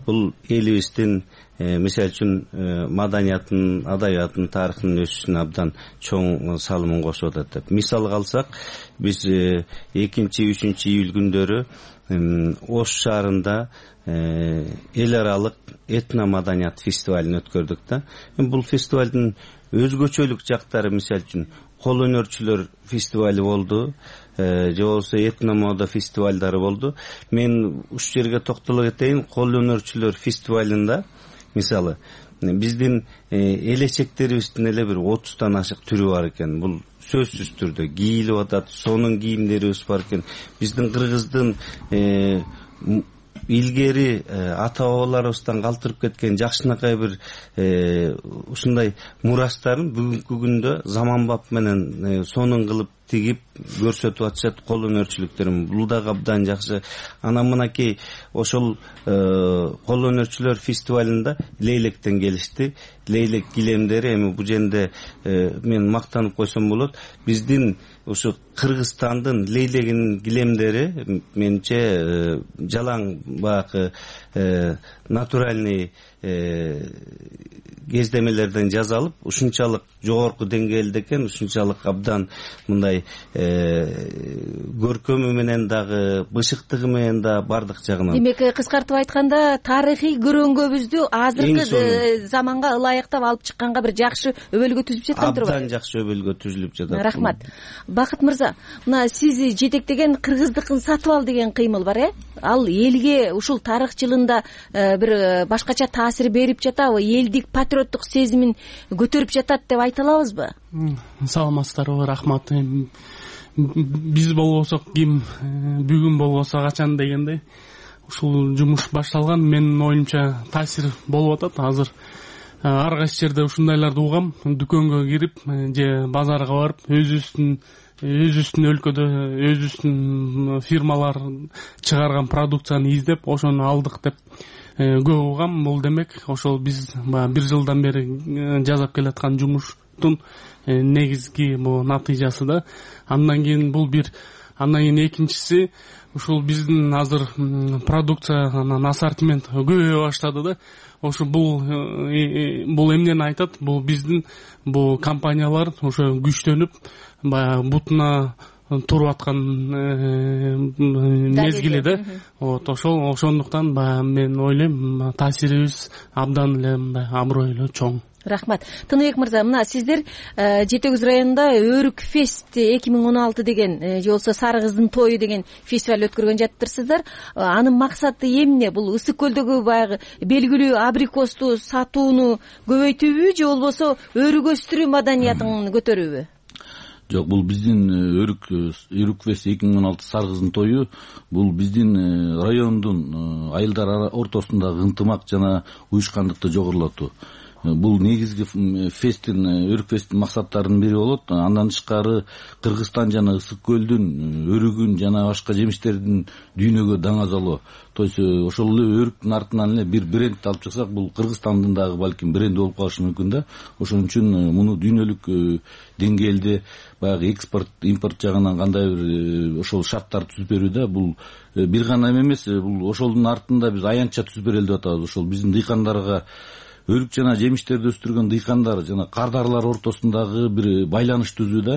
бул элибиздин мисалы үчүн маданиятын, адабиятын, тарыхынын өсүшүнө абдан чоң салымын кошуп атат деп. Мисалга алсак, биз экинчи үчүнчү июль күндөрү Ош шаарында эл аралык этно маданият фестивалын өткөрдүк да. Бул фестивалдын өзгөчөлүк жактары мисалы үчүн кол өнөрчүлөр фестивали болду, же болбосо этно мода фестивалдары болду. Мен ушул жерге токтоло кетейин. Кол өнөрчүлөр фестивалында мисалы биздин элечектерибиздин эле бир отуздан ашык түрү бар экен. Бул сөзсүз түрдө кийилип атат, сонун кийимдерибиз бар экен. Биздин кыргыздын илгери ата бабаларыбыздан калтырып кеткен жакшынакай бир ушундай мурастарын бүгүнкү күндө заманбап менен сонун кылып тигип көрсөтүп атышат кол өнөрчүлүктөрүн. Бул да абдан жакшы. Анан мынакей ошол кол өнөрчүлөр фестивалында лейлектен келишти. Лейлек килемдери, эми бул жерде мен мактанып койсом болот. Биздин ушу Кыргызстандын лейлегинин килемдери менче жалаң баягы натуральный кездемелерден жасалып, ушунчалык жогорку деңгээлде экен, ушунчалык абдан мындай көркөмү менен дагы, бышыктыгы менен да бардык жагынан. Демек, кыскартып айтканда, тарыхый көрөңгөбүздү азыркы заманга ылайыктап алып чыкканга бир жакшы өбөлгө түзүп жаткан турбайбы? Абдан жакшы өбөлгө түзүлүп жатат. Рахмат. Бакыт мырза, мына сиз жетектеген кыргыздыкын сатып ал деген кыймыл бар, э? Ал элге ушул тарых жылында бир башкача таасир берип жатабы? Элдик патриоттук сезимин көтөрүп жатат деп айта алабызбы? Саламатсыздарбы, рахмат. Биз болбосок ким, бүгүн болбосо качан дегендей ушул жумуш башталган. Менин оюмча таасир болуп атат. Азыр ар кайсы жерде ушундайларды угам. Дүкөнгө кирип же базарга барып, өзүбүздүн өзүбүздүн өлкөдө өзүбүздүн фирмалар чыгарган продукцияны издеп, ошону алдык деп көп угам. Бул демек ошол биз бир жылдан бери жасап келаткан жумуштун негизги бул натыйжасы да. Андан кийин бул бир, андан кийин экинчиси ушул биздин азыр продукциянын ассортимент көбөйө баштады да. Ошо бул бул эмнени айтат? Бул биздин бул компаниялар ошо күчтөнүп, баягы бутуна туруп аткан мезгили да. Вот ошол ошондуктан баягы мен ойлойм, таасирибиз абдан эле мындай абройлуу, чоң. Рахмат. Тыныбек мырза, мына сиздер Жети Көз районунда Өрүк фест эки миң он алты деген, же болбосо Сары кыздын тою деген фестиваль өткөргөн жатыптырсыздар. Анын максаты эмне? Бул Ысык көлдөгү баягы белгилүү абрикосту сатууну көбөйтүүбү, же болбосо өрүк өстүрүү маданиятын көтөрүүбү? Жок, бул биздин өрүк өрүк фест эки миң он алты саргыздын тою. Бул биздин райондун айылдар ортосундагы ынтымак жана уюшкандыкты жогорулатуу. Бул негизги фесттин өрүк фесттин максаттарынын бири болот. Андан тышкары Кыргызстан жана Ысык көлдүн өрүгүн жана башка жемиштердин дүйнөгө даңазалоо. То есть ошол эле өрүктүн артынан эле бир бренд алып чыксак, бул Кыргызстандын дагы балким бренди болуп калышы мүмкүн да. Ошон үчүн муну дүйнөлүк деңгээлде баягы экспорт, импорт жагынан кандай бир ошол шарттар түзүп берүүдө бул бир гана эмес, бул ошолдун артында биз аянтча түзүп берели деп атабыз. Ошол биздин дыйкандарга өрүк жана жемиштерди өстүргөн дыйкандар жана кардарлар ортосундагы бир байланыш түзүүдө,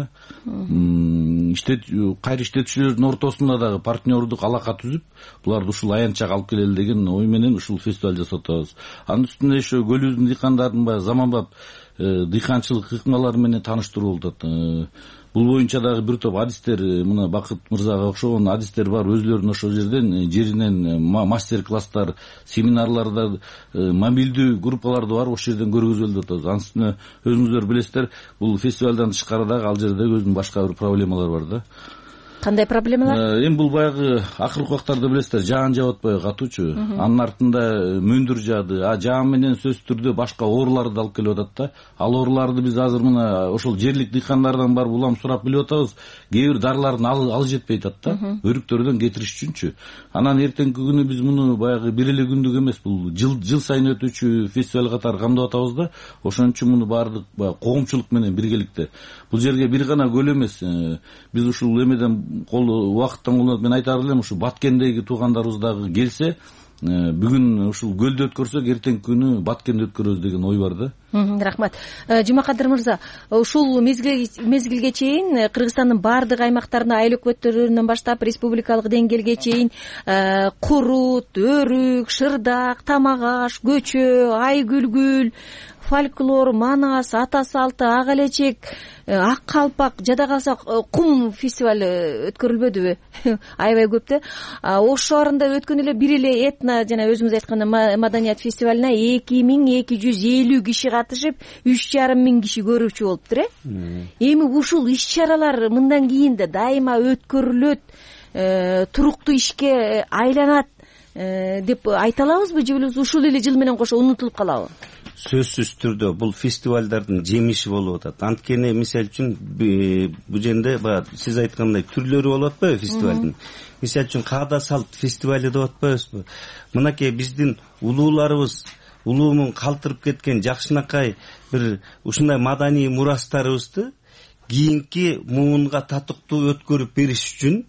иштет кайры иштетүүчүлөрдүн ортосунда дагы партнердук алака түзүп, буларды ушул аянтчага алып келели деген ой менен ушул фестиваль жасап атабыз. Анын үстүнө ошо көлүбүздүн дыйкандарын баягы заманбап дыйканчылык ыкмалары менен тааныштыруу болуп атат. Бул боюнча дагы бир топ адистер, мына Бакыт мырзага окшогон адистер бар, өзүлөрүнүн ошол жерден жеринен мастер-класстар, семинарларда, мобилдүү группаларды бар, ошол жерден көргөзөлүп атабыз. Анын үстүнө өзүңүздөр билесиздер, бул фестивалдан тышкары дагы ал жерде өзүнүн башка бир проблемалар бар да. Кандай проблемалар? Эми бул баягы акыркы убактарда билесиздер, жаан жаап атпайбы катуучу. Анын артында мөндүр жаады. А жаан менен сөзсүз түрдө башка ооруларды алып келип атат да. Ал ооруларды биз азыр мына ошол жерлик дыйкандардан барып улам сурап билип атабыз. Кээ бир дарылардын алы жетпей атат да. Өрүктөрдөн кетириш үчүнчү. Анан эртеңки күнү биз муну баягы бир эле күндүк эмес, бул жыл жыл сайын өтүүчү фестиваль катары камдап атабыз да. Ошон үчүн муну баардык коомчулук менен биргеликте. Бул жерге бир гана көл эмес, биз ушул эмеден кол убакыттан колдонуп мен айтар элем, ушу Баткендеги туугандарыбыз дагы келсе, бүгүн ушул көлдө өткөрсөк, эртеңки күнү Баткенде өткөрөбүз деген ой бар да. Рахмат. Жумакадыр мырза, ушул мезгилге чейин Кыргызстандын баардык аймактарында айыл өкмөттөрүнөн баштап республикалык деңгээлге чейин курут, өрүк, шырдак, тамак аш, көчө, айгүлгүл, фольклор, манас, ата салты, ак элечек, ак калпак, жада калса кум фестивалы өткөрүлбөдүбү? Аябай көп да. Ошо арында өткөн эле бир эле этно жана өзүңүз айткандай маданият фестивалына эки миң эки жүз элүү киши катышып, үч жарым миң киши көрүүчү болуптур, э? Эми ушул иш-чаралар мындан кийин да дайыма өткөрүлөт, туруктуу ишке айланат деп айта алабызбы, же болбосо ушул эле жыл менен кошо унутулуп калабы? Сөзсүз түрдө бул фестивалдардын жемиши болуп атат. Анткени мисалы үчүн бул жерде баягы сиз айткандай түрлөрү болуп атпайбы фестивалдын? Мисалы үчүн каада салт фестивали деп атпайбызбы? Мынакей биздин улууларыбыз улуумун калтырып кеткен жакшынакай бир ушундай маданий мурастарыбызды кийинки муунга татыктуу өткөрүп бериш үчүн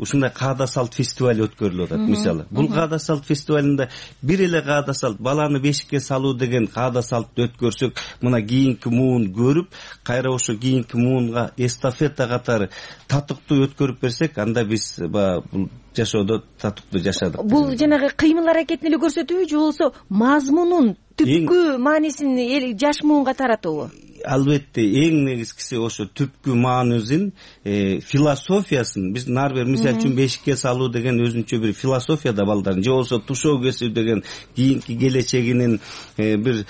ушундай каада салт фестиваль өткөрүлүп атат. Мисалы, бул каада салт фестивалында бир эле каада салт, баланы бешикке салуу деген каада салтты өткөрсөк, мына кийинки муун көрүп, кайра ошо кийинки муунга эстафета катары татыктуу өткөрүп берсек, анда биз бул жашоодо татыктуу жашадык. Бул жанагы кыймыл аракетин эле көрсөтүүбү, же болбосо мазмунун түпкү маанисин жаш муунга таратуубу? Албетте, эң негизгиси ошо түпкү маанисин, философиясын биз ар бир мисалы үчүн бешикке салуу деген өзүнчө бир философия да балдардын, же болбосо тушоо кесүү деген кийинки келечегинин бир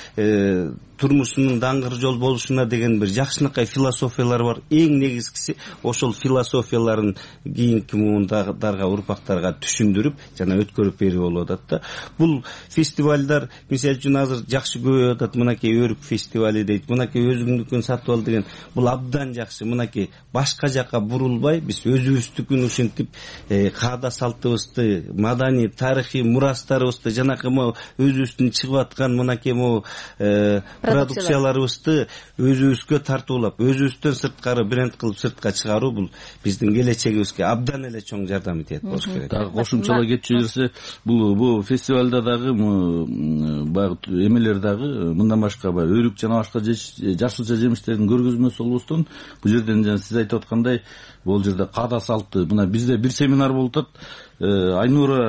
турмушунун даңгыр жол болушуна деген бир жакшынакай философиялар бар. Эң негизгиси ошол философияларын кийинки муундарга, урпактарга түшүндүрүп жана өткөрүп берүү болуп атат да. Бул фестивалдар мисалы үчүн азыр жакшы көбөйүп атат. Мынакей өрүк фестивали дейт, мынакей өзүмдүкүн сатып ал деген. Бул абдан жакшы. Мынакей башка жака бурулбай, биз өзүбүздүкүн ушинтип каада салтыбызды, маданий, тарыхый мурастарыбызды, жанакы могу өзүбүздүн чыгып аткан мынакей могу продукцияларыбызды өзүбүзгө тартуулап, өзүбүздөн сырткары бренд кылып сыртка чыгаруу бул биздин келечегибизге абдан эле чоң жардам этет болуш керек. Дагы кошумчалай кетчү жерсе, бул бул фестивалда дагы баягы эмелер дагы мындан башка баягы өрүк жана башка жашылча жемиштердин көргөзмөсү болбостон, бул жерден жана сиз айтып аткандай, бул жерде каада салты, мына бизде бир семинар болуп атат. Айнура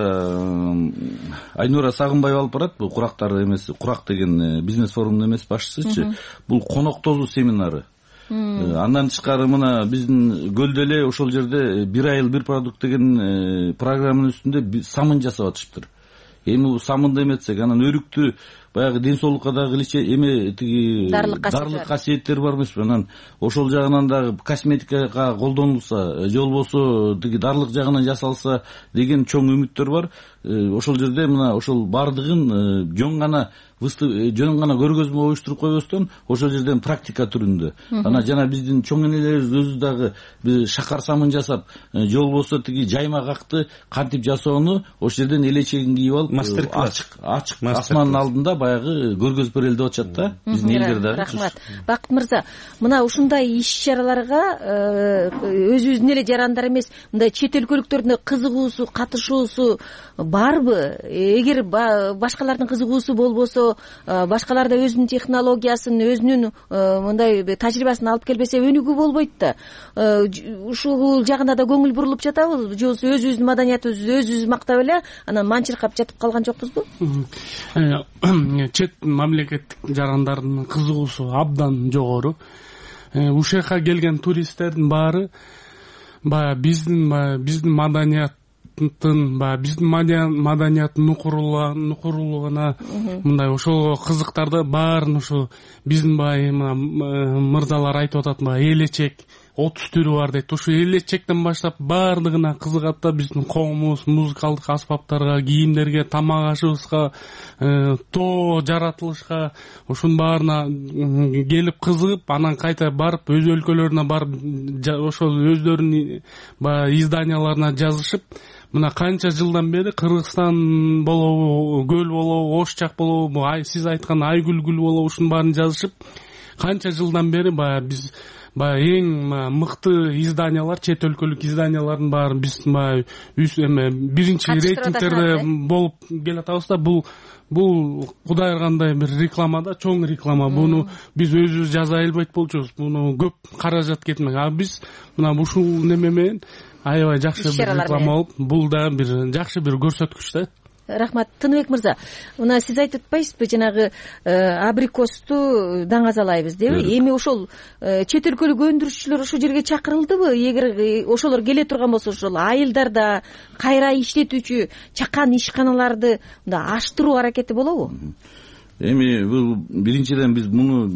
Айнура Сагынбаева алып барат, бул курактар эмес, курак деген бизнес форумдун эмес башчысычы. Бул коноктозуу семинары. Андан тышкары мына биздин көлдө эле ошол жерде бир айыл бир продукт деген программанын үстүндө самын жасап атышыптыр. Эми бул самынды эметсек, анан өрүктү баягы ден соолукка дагы эме тиги дарлык касиеттер бар эмеспи. Анан ошол жагынан дагы косметикага колдонулса же болбосо тиги дарлык жагынан жасалса деген чоң үмүттөр бар. Ошол жерде мына ошол баардыгын жөн гана жөн гана көргөзмө оюштуруп койбостон ошол жерден практика түрүндө анан жана биздин чоң энелерибиз өзү дагы биз шакар самын жасап же болбосо тиги жаймак акты кантип жасоону ошол жерден элечегин кийип алып мастер класс ачык асмандын алдында баягы көргөзүп берели деп атышат да биздин элдер дагы. Рахмат. Бакыт мырза, мына ушундай иш-чараларга өзүбүздүн эле жарандар эмес, мындай чет өлкөлүктөрдүн кызыгуусу, катышуусу барбы? Эгер башкалардын кызыгуусу болбосо, башкалар да өзүнүн технологиясын, өзүнүн мындай тажрыйбасын алып келбесе өнүгүү болбойт да. Ушул жагына да көңүл бурулуп жатабыз же болбосо өзүбүздүн маданиятыбызды өзүбүз мактап эле анан манчыркап жатып калган жокпузбу? Чет мамлекеттик жарандардын кызыгуусу абдан жогору. Ушул жака келген туристтердин баары баягы биздин биздин маданият баягы биздин маданияттын нукурлугуна мындай ошол кызыктарды баарын ушу биздин баягы мырзалар айтып атат, баягы элечек отуз түрү бар дейт. Ушу элечектен баштап баардыгына кызыгат да, биздин коомубуз музыкалдык аспаптарга, кийимдерге, тамак ашыбызга, тоо жаратылышка ушунун баарына келип кызыгып, анан кайта барып өз өлкөлөрүнө барып ошол өздөрүнүн баягы изданияларына жазышып, мына канча жылдан бери Кыргызстан болобу, көл болобу, Ош жак болобу, сиз айткан Айгүл-гүл болобу, ушунун баарын жазышып, канча жылдан бери баягы биз баягы эң мыкты изданиялар, чет өлкөлүк изданиялардын баарын биз баягы эме биринчи рейтингтерде болуп келатабыз да. Бул бул кудай ыргандай бир реклама да, чоң реклама. Буну биз өзүбүз жаза албайт болчубуз. Буну көп каражат кетмек. А биз мына ушул неме менен аябай жакшы бир реклама болуп, бул да бир жакшы бир көрсөткүч да. Рахмат. Тыныбек мырза, мына сиз айтып атпайсызбы, жанагы абрикосту даңазалайбыз деби? Эми ошол чет өлкөлүк өндүрүшчүлөр ошол жерге чакырылдыбы? Эгер ошолор келе турган болсо, ошол айылдарда кайра иштетүүчү чакан ишканаларды мындай аштыруу аракети болобу? Эми бул биринчиден биз муну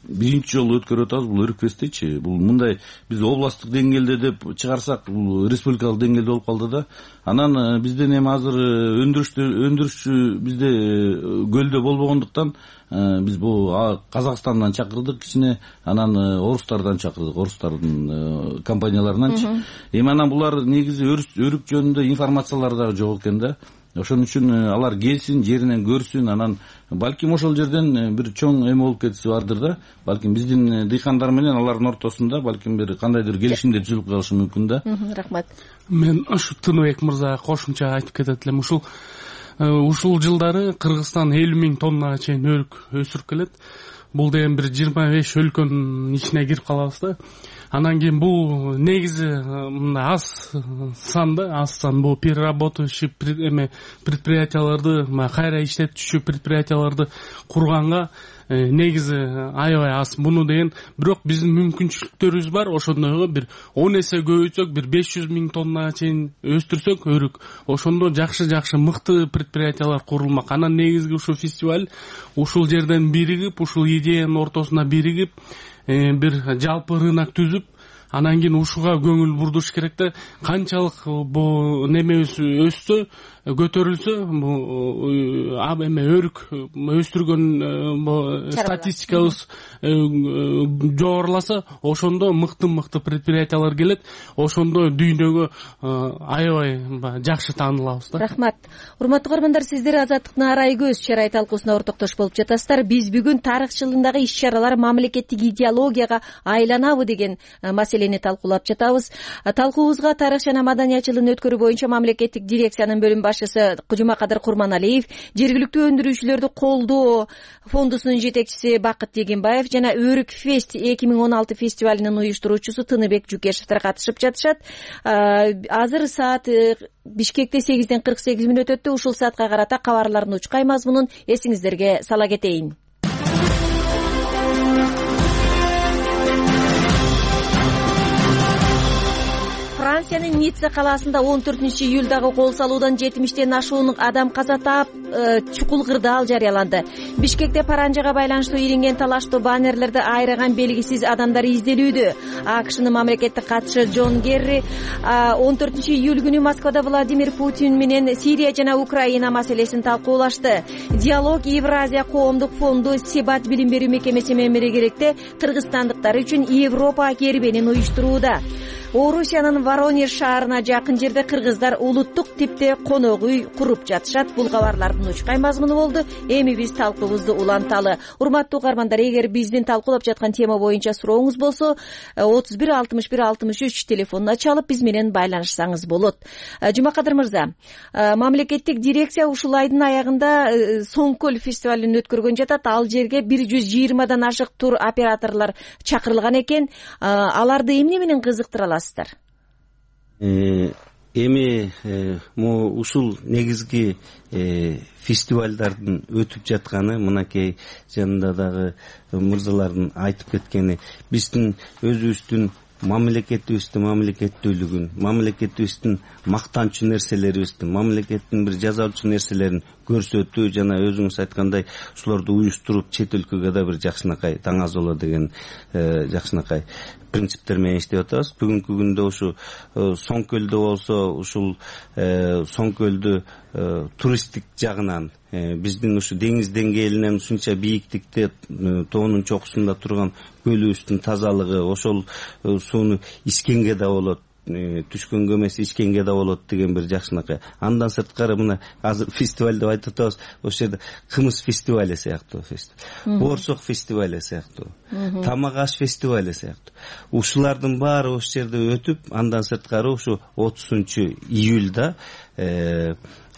биринчи жолу өткөрүп атабыз, бул Өрүкпестечи. Бул мындай биз областтык деңгээлде деп чыгарсак, бул республикалык деңгээлде болуп калды да. Анан бизден эми азыр өндүрүштү өндүрүшчү бизде көлдө болбогондуктан биз бул Казакстандан чакырдык кичине, анан орустардан чакырдык, орустардын компанияларынанчы. Эми анан булар негизи өрүк жөнүндө информациялар дагы жок экен да. Ошон үчүн алар келсин, жеринен көрсүн, анан балким ошол жерден бир чоң эме болуп кетиси бардыр да. Балким биздин дыйкандар менен алардын ортосунда балким бир кандайдыр келишимдер түзүлүп калышы мүмкүн да. Рахмат. Мен ушу Тыныбек мырзага кошумча айтып кетет элем. Ушул ушул жылдары Кыргызстан элүү миң тоннага чейин өрүк өсүрүп келет. Бул деген бир жыйырма беш өлкөнүн ичине кирип калабыз да. Анан кийин бул негизи мындай аз сан да, аз сан бул переработающий эме предприятияларды, кайра иштетүүчү предприятияларды курганга негизи аябай аз. Буну деген бирок биздин мүмкүнчүлүктөрүбүз бар. Ошондойго бир он эсе көбөйтсөк, бир беш жүз миң тоннага чейин өстүрсөк өрүк, ошондо жакшы-жакшы мыкты предприятиялар курулмак. Анан негизги ушул фестиваль ушул жерден биригип, ушул идеянын ортосуна биригип, бир жалпы рынок түзүп, анан кийин ушуга көңүл бурдуш керек да. Канчалык бул немебиз өссө, көтөрүлсө, бул эме өрүк өстүргөн статистикабыз жогоруласа, ошондо мыкты-мыкты предприятиялар келет, ошондо дүйнөгө аябай жакшы таанылабыз да. Рахмат. Урматтуу көрөрмандар, сиздер Азаттыктын арай көз чарай талкуусуна ортоктош болуп жатасыздар. Биз бүгүн тарыхчылыгындагы иш-чаралар мамлекеттик идеологияга айланабы деген маселени талкуулап жатабыз. Талкуубузга тарых жана маданият жылын өткөрүү боюнча мамлекеттик дирекциянын бөлүм башчысы Жумакадыр Курманалиев, жергиликтүү өндүрүүчүлөрдү колдоо фондусунун жетекчиси Бакыт Дегенбаев жана Өрүк фест эки миң он алты фестивалынын уюштуруучусу Тыныбек Жукешевдер катышып жатышат. Азыр саат Бишкекте сегизден кырк сегиз мүнөт өттү. Ушул саатка карата кабарлардын учкай мазмунун эсиңиздерге сала кетейин. Франциянын Ницца калаасында он төртүнчү июлдагы кол салуудан жетимиштен ашуун адам каза таап, чукул кырдаал жарыяланды. Бишкекте паранжага байланыштуу илинген талаштуу баннерлерди айраган белгисиз адамдар изделүүдө. АКШнын мамлекеттик катчысы Джон Керри он төртүнчү июль күнү Москвада Владимир Путин менен Сирия жана Украина маселесин талкуулашты. Диалог Евразия коомдук фонду Себат билим берүү мекемеси менен биргеликте кыргызстандыктар үчүн Европа кербенин уюштурууда. Орусиянын Воронеж шаарына жакын жерде кыргыздар улуттук типте конок үй куруп жатышат. Бул кабарлардын учкай мазмуну болду. Эми биз талкуубузду уланталы. Урматтуу угармандар, эгер биздин талкуулап жаткан тема боюнча сурооңуз болсо, отуз бир алтымыш бир алтымыш үч телефонуна чалып биз менен байланышсаңыз болот. Жумакадыр мырза, мамлекеттик дирекция ушул айдын аягында Соңкөл фестивалын өткөргөн жатат. Ал жерге бир жүз жыйырмадан ашык тур операторлор чакырылган экен. Аларды эмне менен кызыктыра аласыздар? Эми могу ушул негизги фестивалдардын өтүп жатканы, мынакей жанында дагы мырзалардын айтып кеткени, биздин өзүбүздүн мамлекетибиздин мамлекеттүүлүгүн, мамлекетибиздин мактанчу нерселерибиздин, мамлекеттин бир жазалчу нерселерин көрсөтүү жана өзүңүз айткандай ушуларды уюштуруп чет өлкөгө да бир жакшынакай таңазоло деген жакшынакай принциптер менен иштеп атабыз. Бүгүнкү күндө ушу Соңкөлдө болсо, ушул Соңкөлдү туристтик жагынан биздин ушу деңиз деңгээлинен ушунча бийиктикте тоонун чокусунда турган көлүбүздүн тазалыгы, ошол сууну ичкенге да болот, түшкөнгө эмес ичкенге да болот деген бир жакшынакай. Андан сырткары мына азыр фестиваль деп айтып атабыз, ошол жерде кымыз фестивали сыяктуу фестиваль, боорсок фестивали сыяктуу, тамак аш фестивали сыяктуу. Ушулардын баары ошол жерде өтүп, андан сырткары ушу отузунчу июлда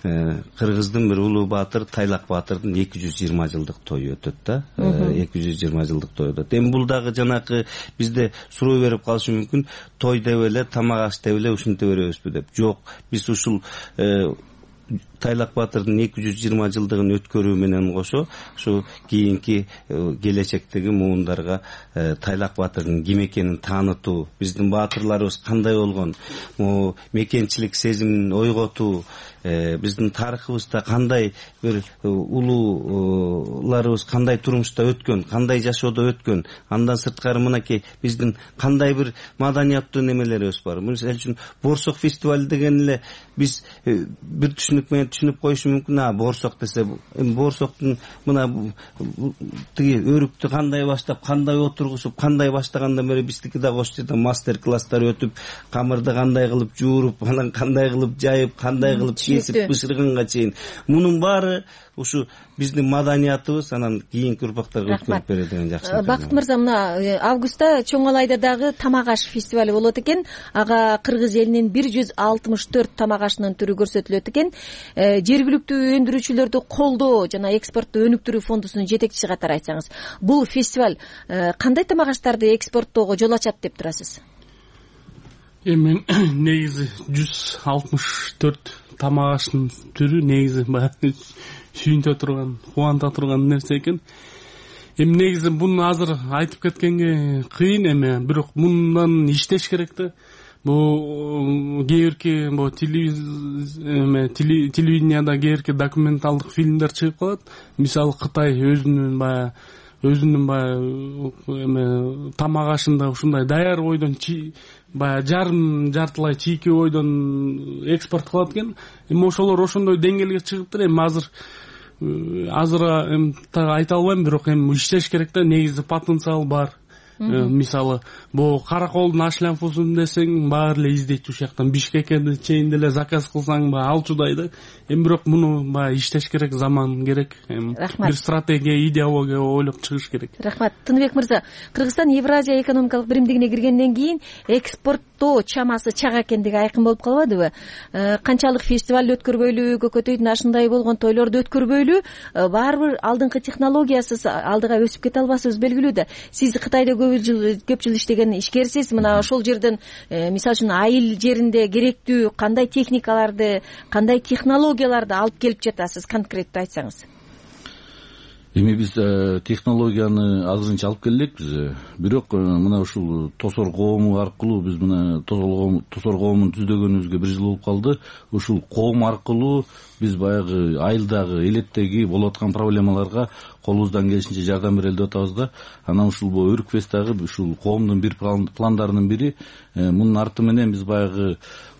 кыргыздын бир улуу баатыр Тайлак баатырдын эки жүз жыйырма жылдык тою өтөт да. эки жүз жыйырма жылдык той өтөт. Эми бул дагы жанакы бизде суроо берип калышы мүмкүн, той деп эле, тамак аш деп эле ушинте беребизби деп. Жок, биз ушул Тайлак баатырдын эки жүз жыйырма жылдыгын өткөрүү менен кошо, ушу кийинки келечектеги муундарга Тайлак баатырдын ким экенин таанытуу, биздин баатырларыбыз кандай болгон, мекенчилик сезимин ойготуу, биздин тарыхыбызда кандай бир улууларыбыз кандай турмушта өткөн, кандай жашоодо өткөн, андан сырткары мынакей биздин кандай бир маданияттуу немелерибиз бар. Мисалы үчүн боорсок фестивали деген эле биз бир түшүнүк менен түшүнүп коюшу мүмкүн. А боорсок десе, эми боорсоктун мына тиги өрүктү кандай баштап, кандай отургузуп, кандай баштагандан бери биздики да ошол жерде мастер класстар өтүп, камырды кандай кылып жууруп, анан кандай кылып жайып, кандай кылып кесип бышырганга чейин, мунун баары ушу биздин маданиятыбыз анан кийинки урпактарга өткөрүп берет деген жакшы. Бакыт мырза, мына августта Чоң Алайда дагы тамак аш фестивали болот экен. Ага кыргыз элинин бир жүз алтымыш төрт тамак ашынын түрү көрсөтүлөт экен. Жергиликтүү өндүрүүчүлөрдү колдоо жана экспортту өнүктүрүү фондусунун жетекчиси катары айтсаңыз, бул фестиваль кандай тамак аштарды экспорттоого жол ачат деп турасыз? Эми негизи жүз алтымыш төрт тамак аштын түрү негизи баягы сүйүнтө турган, кубанта турган нерсе экен. Эми негизи буну азыр айтып кеткенге кыйын, эми бирок мындан иштеш керек да. Бул кээбирки бул телевиденияда кээбирки документалдык фильмдер чыгып калат. Мисалы Кытай өзүнүн баягы өзүнүн баягы эме тамак ашында ушундай даяр ойдон баягы жарым жартылай чийки ойдон экспорт кылат экен. Эми ошолор ошондой деңгээлге чыгыптыр. Эми азыр азыр эми айта албайм, бирок эми иштеш керек да. Негизи потенциал бар. Мисалы бул караколдун аш лямфусун десең, баары эле издейт ушул жактан. Бишкекке чейин деле заказ кылсаң баягы алчудай да. Эми бирок муну баягы иштеш керек, заман керек. Эми бир стратегия, идеология ойлоп чыгыш керек. Рахмат. Тыныбек мырза, Кыргызстан Евразия экономикалык биримдигине киргенден кийин экспорттоо чамасы чак экендиги айкын болуп калбадыбы? Канчалык фестиваль өткөрбөйлү, көкөтөйдүн ашындай болгон тойлорду өткөрбөйлү, баары бир алдыңкы технологиясыз алдыга өсүп кете албасыбыз белгилүү да. Сиз Кытайда көп жыл көп жыл иштеген ишкерсиз. Мына ошол жерден мисалы үчүн айыл жеринде керектүү кандай техникаларды, кандай технологияларды алып келип жатасыз, конкреттүү айтсаңыз? эми биз технологияны азырынча алып келелекпиз, бирок мына ушул тосор коому аркылуу биз мына тосор коомун түздөгөнүбүзгө бир жыл болуп калды. Ушул коом аркылуу биз баягы айылдагы, элеттеги болуп аткан проблемаларга колубуздан келишинче жардам берели деп атабыз да. Анан ушул Өрүк фест дагы ушул коомдун бир пландарынын бири. Мунун арты менен биз баягы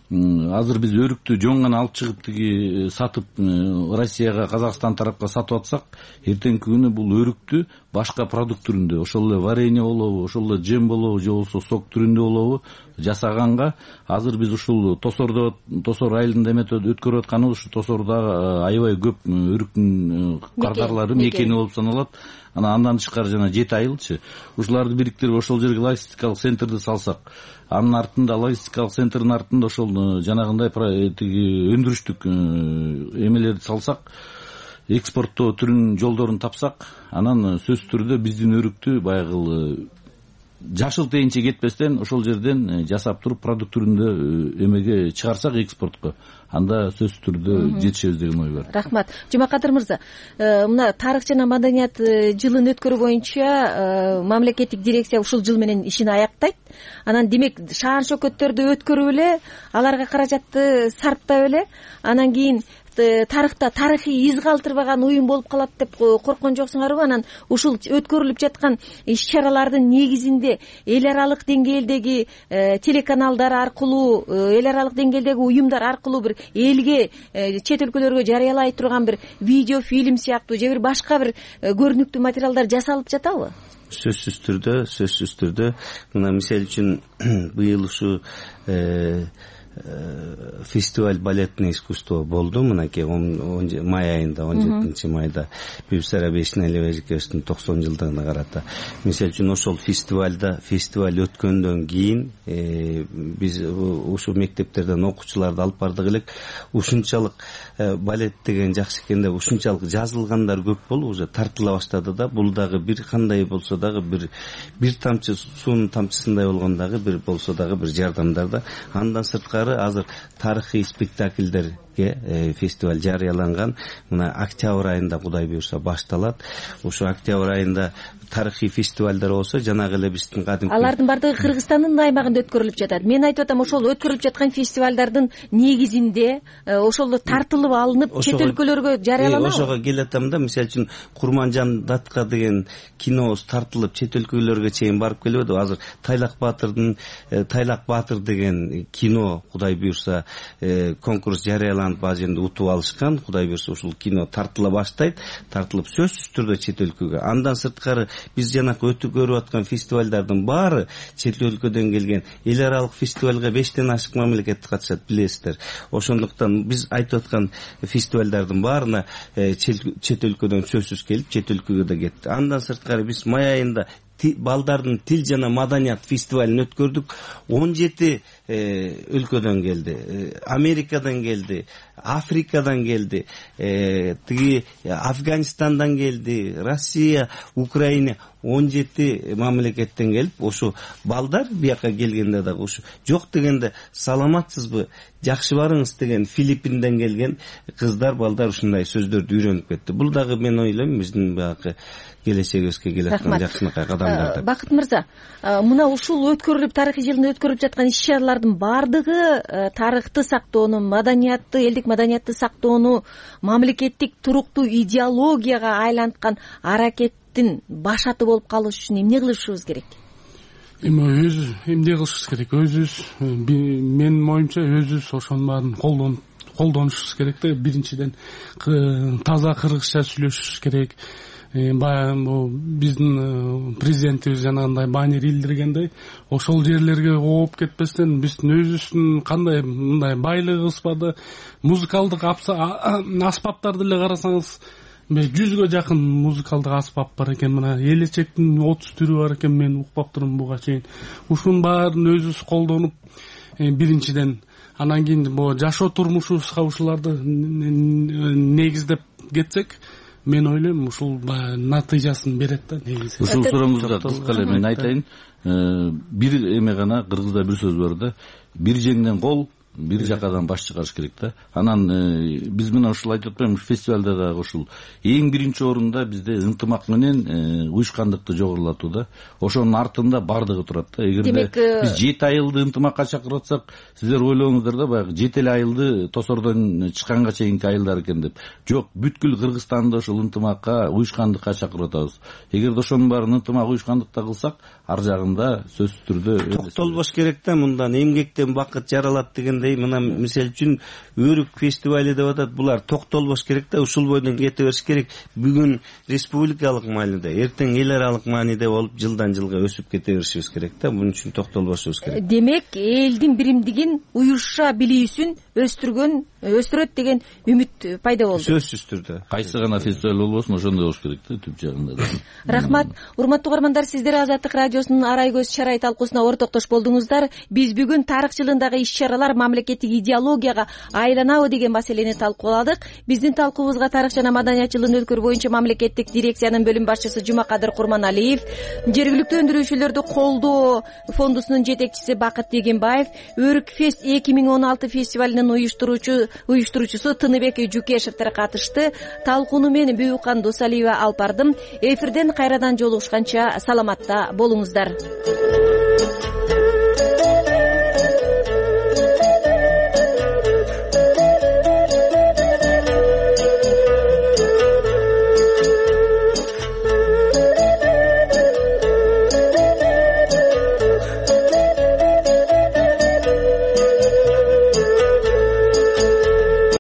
азыр биз өрүктү жон гана алып чыгып тиги сатып Россияга, Казакстан тарапка сатып атсак, эртеңки күнү бул өрүктү башка продукт түрүндө, ошол эле варенье болобу, ошол эле жем болобу, же болбосо сок түрүндө болобу жасаганга азыр биз ушул Тосордо, Тосор айылында эметип өткөрүп атканыбыз ушу Тосордо аябай көп өрүктүн кардарлары мекени болуп саналат. Анан андан тышкары жана жети айылчы. Ушуларды бириктирип ошол жерге логистикалык центрди салсак, анын артында логистикалык центрдин артында ошол жанагындай тиги өндүрүштүк эмелерди салсак, экспорттоо түрүнүн жолдорун тапсак, анан сөзсүз түрдө биздин өрүктү баягы жашыл тейинче кетпестен ошол жерден жасап туруп продукт түрүндө эмеге чыгарсак, экспортко, анда сөзсүз түрдө жетишебиз деген ой бар. Рахмат. Жумакадыр мырза, мына тарых жана маданият жылын өткөрүү боюнча мамлекеттик дирекция ушул жыл менен ишин аяктайт. Анан демек шаар шөкөттөрдү өткөрүп эле, аларга каражатты сарптап эле, анан кийин тарыхта тарыхый из калтырбаган уюм болуп калат деп корккон жоксуңарбы? Анан ушул өткөрүлүп жаткан иш-чаралардын негизинде эл аралык деңгээлдеги телеканалдар аркылуу, эл аралык деңгээлдеги уюмдар аркылуу бир элге, чет өлкөлөргө жарыялай турган бир видео фильм сыяктуу же бир башка бир көрүнүктүү материалдар жасалып жатабы? Сөзсүз түрдө, сөзсүз түрдө. Мына мисалы үчүн быйыл ушу фестиваль балетное искусство болду, мынакей май айында, он жетинчи майда Бибисара Бейшеналиевичтин токсон жылдыгына карата. Мисалы үчүн ошол фестивальда фестиваль өткөндөн кийин биз ушу мектептерден окуучуларды алып бардык элек. Ушунчалык балет деген жакшы экен деп, ушунчалык жазылгандар көп болуп уже тартыла баштады да. Бул дагы бир кандай болсо дагы бир бир тамчы суунун тамчысындай болгондагы бир болсо дагы бир жардамдар да. Андан сырткары азыр тарыхый спектакльдерге фестиваль жарыяланган. Мына октябрь айында Кудай буйрса башталат. Ошо октябрь айында тарыхый фестивалдар болсо, жанагы эле биздин кадимки алардын бардыгы Кыргызстандын аймагында өткөрүлүп жатат. Мен айтып атам, ошол өткөрүлүп жаткан фестивалдардын негизинде ошол тартылып алынып чет өлкөлөргө жарыяланабы? Ошого келатам да. Мисалы үчүн Курманжан Датка деген кинобуз тартылып чет өлкөлөргө чейин барып келбеди. Азыр Тайлак Баатырдын Тайлак Баатыр деген кино Кудай буйрса конкурс жарыяланып ал жерде утуп алышкан. Кудай буйрса ушул кино тартыла баштайт. Тартылып сөзсүз түрдө чет өлкөгө. Андан сырткары биз жанакы өткөрүп аткан фестивалдардын баары чет өлкөдөн келген. Эл аралык фестивалга бештен ашык мамлекет катышат, билесиздер. Ошондуктан биз айтып аткан фестивалдардын баарына чет өлкөдөн сөзсүз келип, чет өлкөгө да кетти. Андан сырткары биз май айында балдардын тил жана маданият фестивалын өткөрдүк. он жети өлкөдөн келди. Америкадан келди, Африкадан келди, тиги Афганистандан келди, Россия, Украина, он жети мамлекеттен келип, ошо балдар бияка келгенде дагы ушу жок дегенде саламатсызбы, жакшы барыңыз деген Филиппинден келген кыздар, балдар ушундай сөздөрдү үйрөнүп кетти. Бул дагы мен ойлойм биздин баягы келечегибизге келаткан жакшынакай кадамдар. Бакыт мырза, мына ушул өткөрүлүп тарыхый жылында өткөрүлүп жаткан иш-чаралардын бардыгы тарыхты сактоону, маданиятты, элдик маданиятты сактоону мамлекеттик туруктуу идеологияга айланткан аракеттин башаты болуп калыш үчүн эмне кылышыбыз керек? Эми өз эмне кылышыбыз керек? Өзүбүз, менин оюмча өзүбүз ошонун баарын колдонушубуз керек да. Биринчиден таза кыргызча сүйлөшүшүбүз керек. Баягы биздин президентибиз жанагындай баннер илдиргендей, ошол жерлерге ооп кетпестен биздин өзүбүздүн кандай мындай байлыгыбыз бар, музыкалдык аспаптарды эле карасаңыз жүзгө жакын музыкалдык аспап бар экен. Мына элечектин отуз түрү бар экен, мен укпап турмун буга чейин. Ушунун баарын өзүбүз колдонуп, биринчиден анан кийин бул жашоо турмушубузга ушуларды негиздеп кетсек, мен ойлойм ушул натыйжасын берет да негизи. Ушул сурооңузга кыска эле мен айтайын. Бир эме гана, кыргызда бир сөз бар да, бир жеңден кол, бир жакадан баш чыгарыш керек да. Анан биз мына ушул айтып атпаймынбы, фестивалда дагы ушул эң биринчи орунда бизде ынтымак менен уюшкандыкты жогорулатуу да. Ошонун артында бардыгы турат да. Эгерде биз жети айылды ынтымакка чакырып атсак, сиздер ойлоңуздар да, баягы жети эле айылды тосордон чыкканга чейинки айылдар экен деп. Жок, бүткүл Кыргызстанды ушул ынтымакка, уюшкандыкка чакырып атабыз. Эгерде ошонун баарын ынтымак, уюшкандыкта кылсак, ар жагында сөзсүз түрдө токтолбош керек да. Мындан эмгектен бакыт жаралат дегендей, мына мисалы үчүн Өрүк фестивали деп атат. Булар токтолбош керек да, ушул бойдон кете бериш керек. Бүгүн республикалык мааниде, эртең эл аралык мааниде болуп, жылдан жылга өсүп кете беришибиз керек да. Буның үчүн токтолбошубуз керек. Демек, элдин биримдигин, уюша билүүсүн өстүргөн, өстүрөт деген үмүт пайда болду. Сөзсүз түрдө. Кайсы гана фестиваль болбосун, ошондой болуш керек да, түп жагында да. Рахмат. Урматтуу угармандар, сиздер Азаттык радиосунун арай көз чарай талкуусуна ортоктош болдуңуздар. Биз бүгүн тарых жылындагы иш-чаралар мамлекеттик идеологияга айланабы деген маселени талкууладык. Биздин талкуубузга тарых жана маданият жылын өткөрүү боюнча мамлекеттик дирекциянын бөлүм башчысы Жумакадыр Курманалиев, жергиликтүү өндүрүүчүлөрдү колдоо фондусунун жетекчиси Бакыт Дегенбаев, Өрүк фест эки миң он алты фестивалынын уюштуруучу уюштуруучусу Тыныбек Жукешевтер катышты. Талкууну мен Бүйүкан Досалиева алып бардым. Эфирден кайрадан жолугушканча саламатта болуңуздар.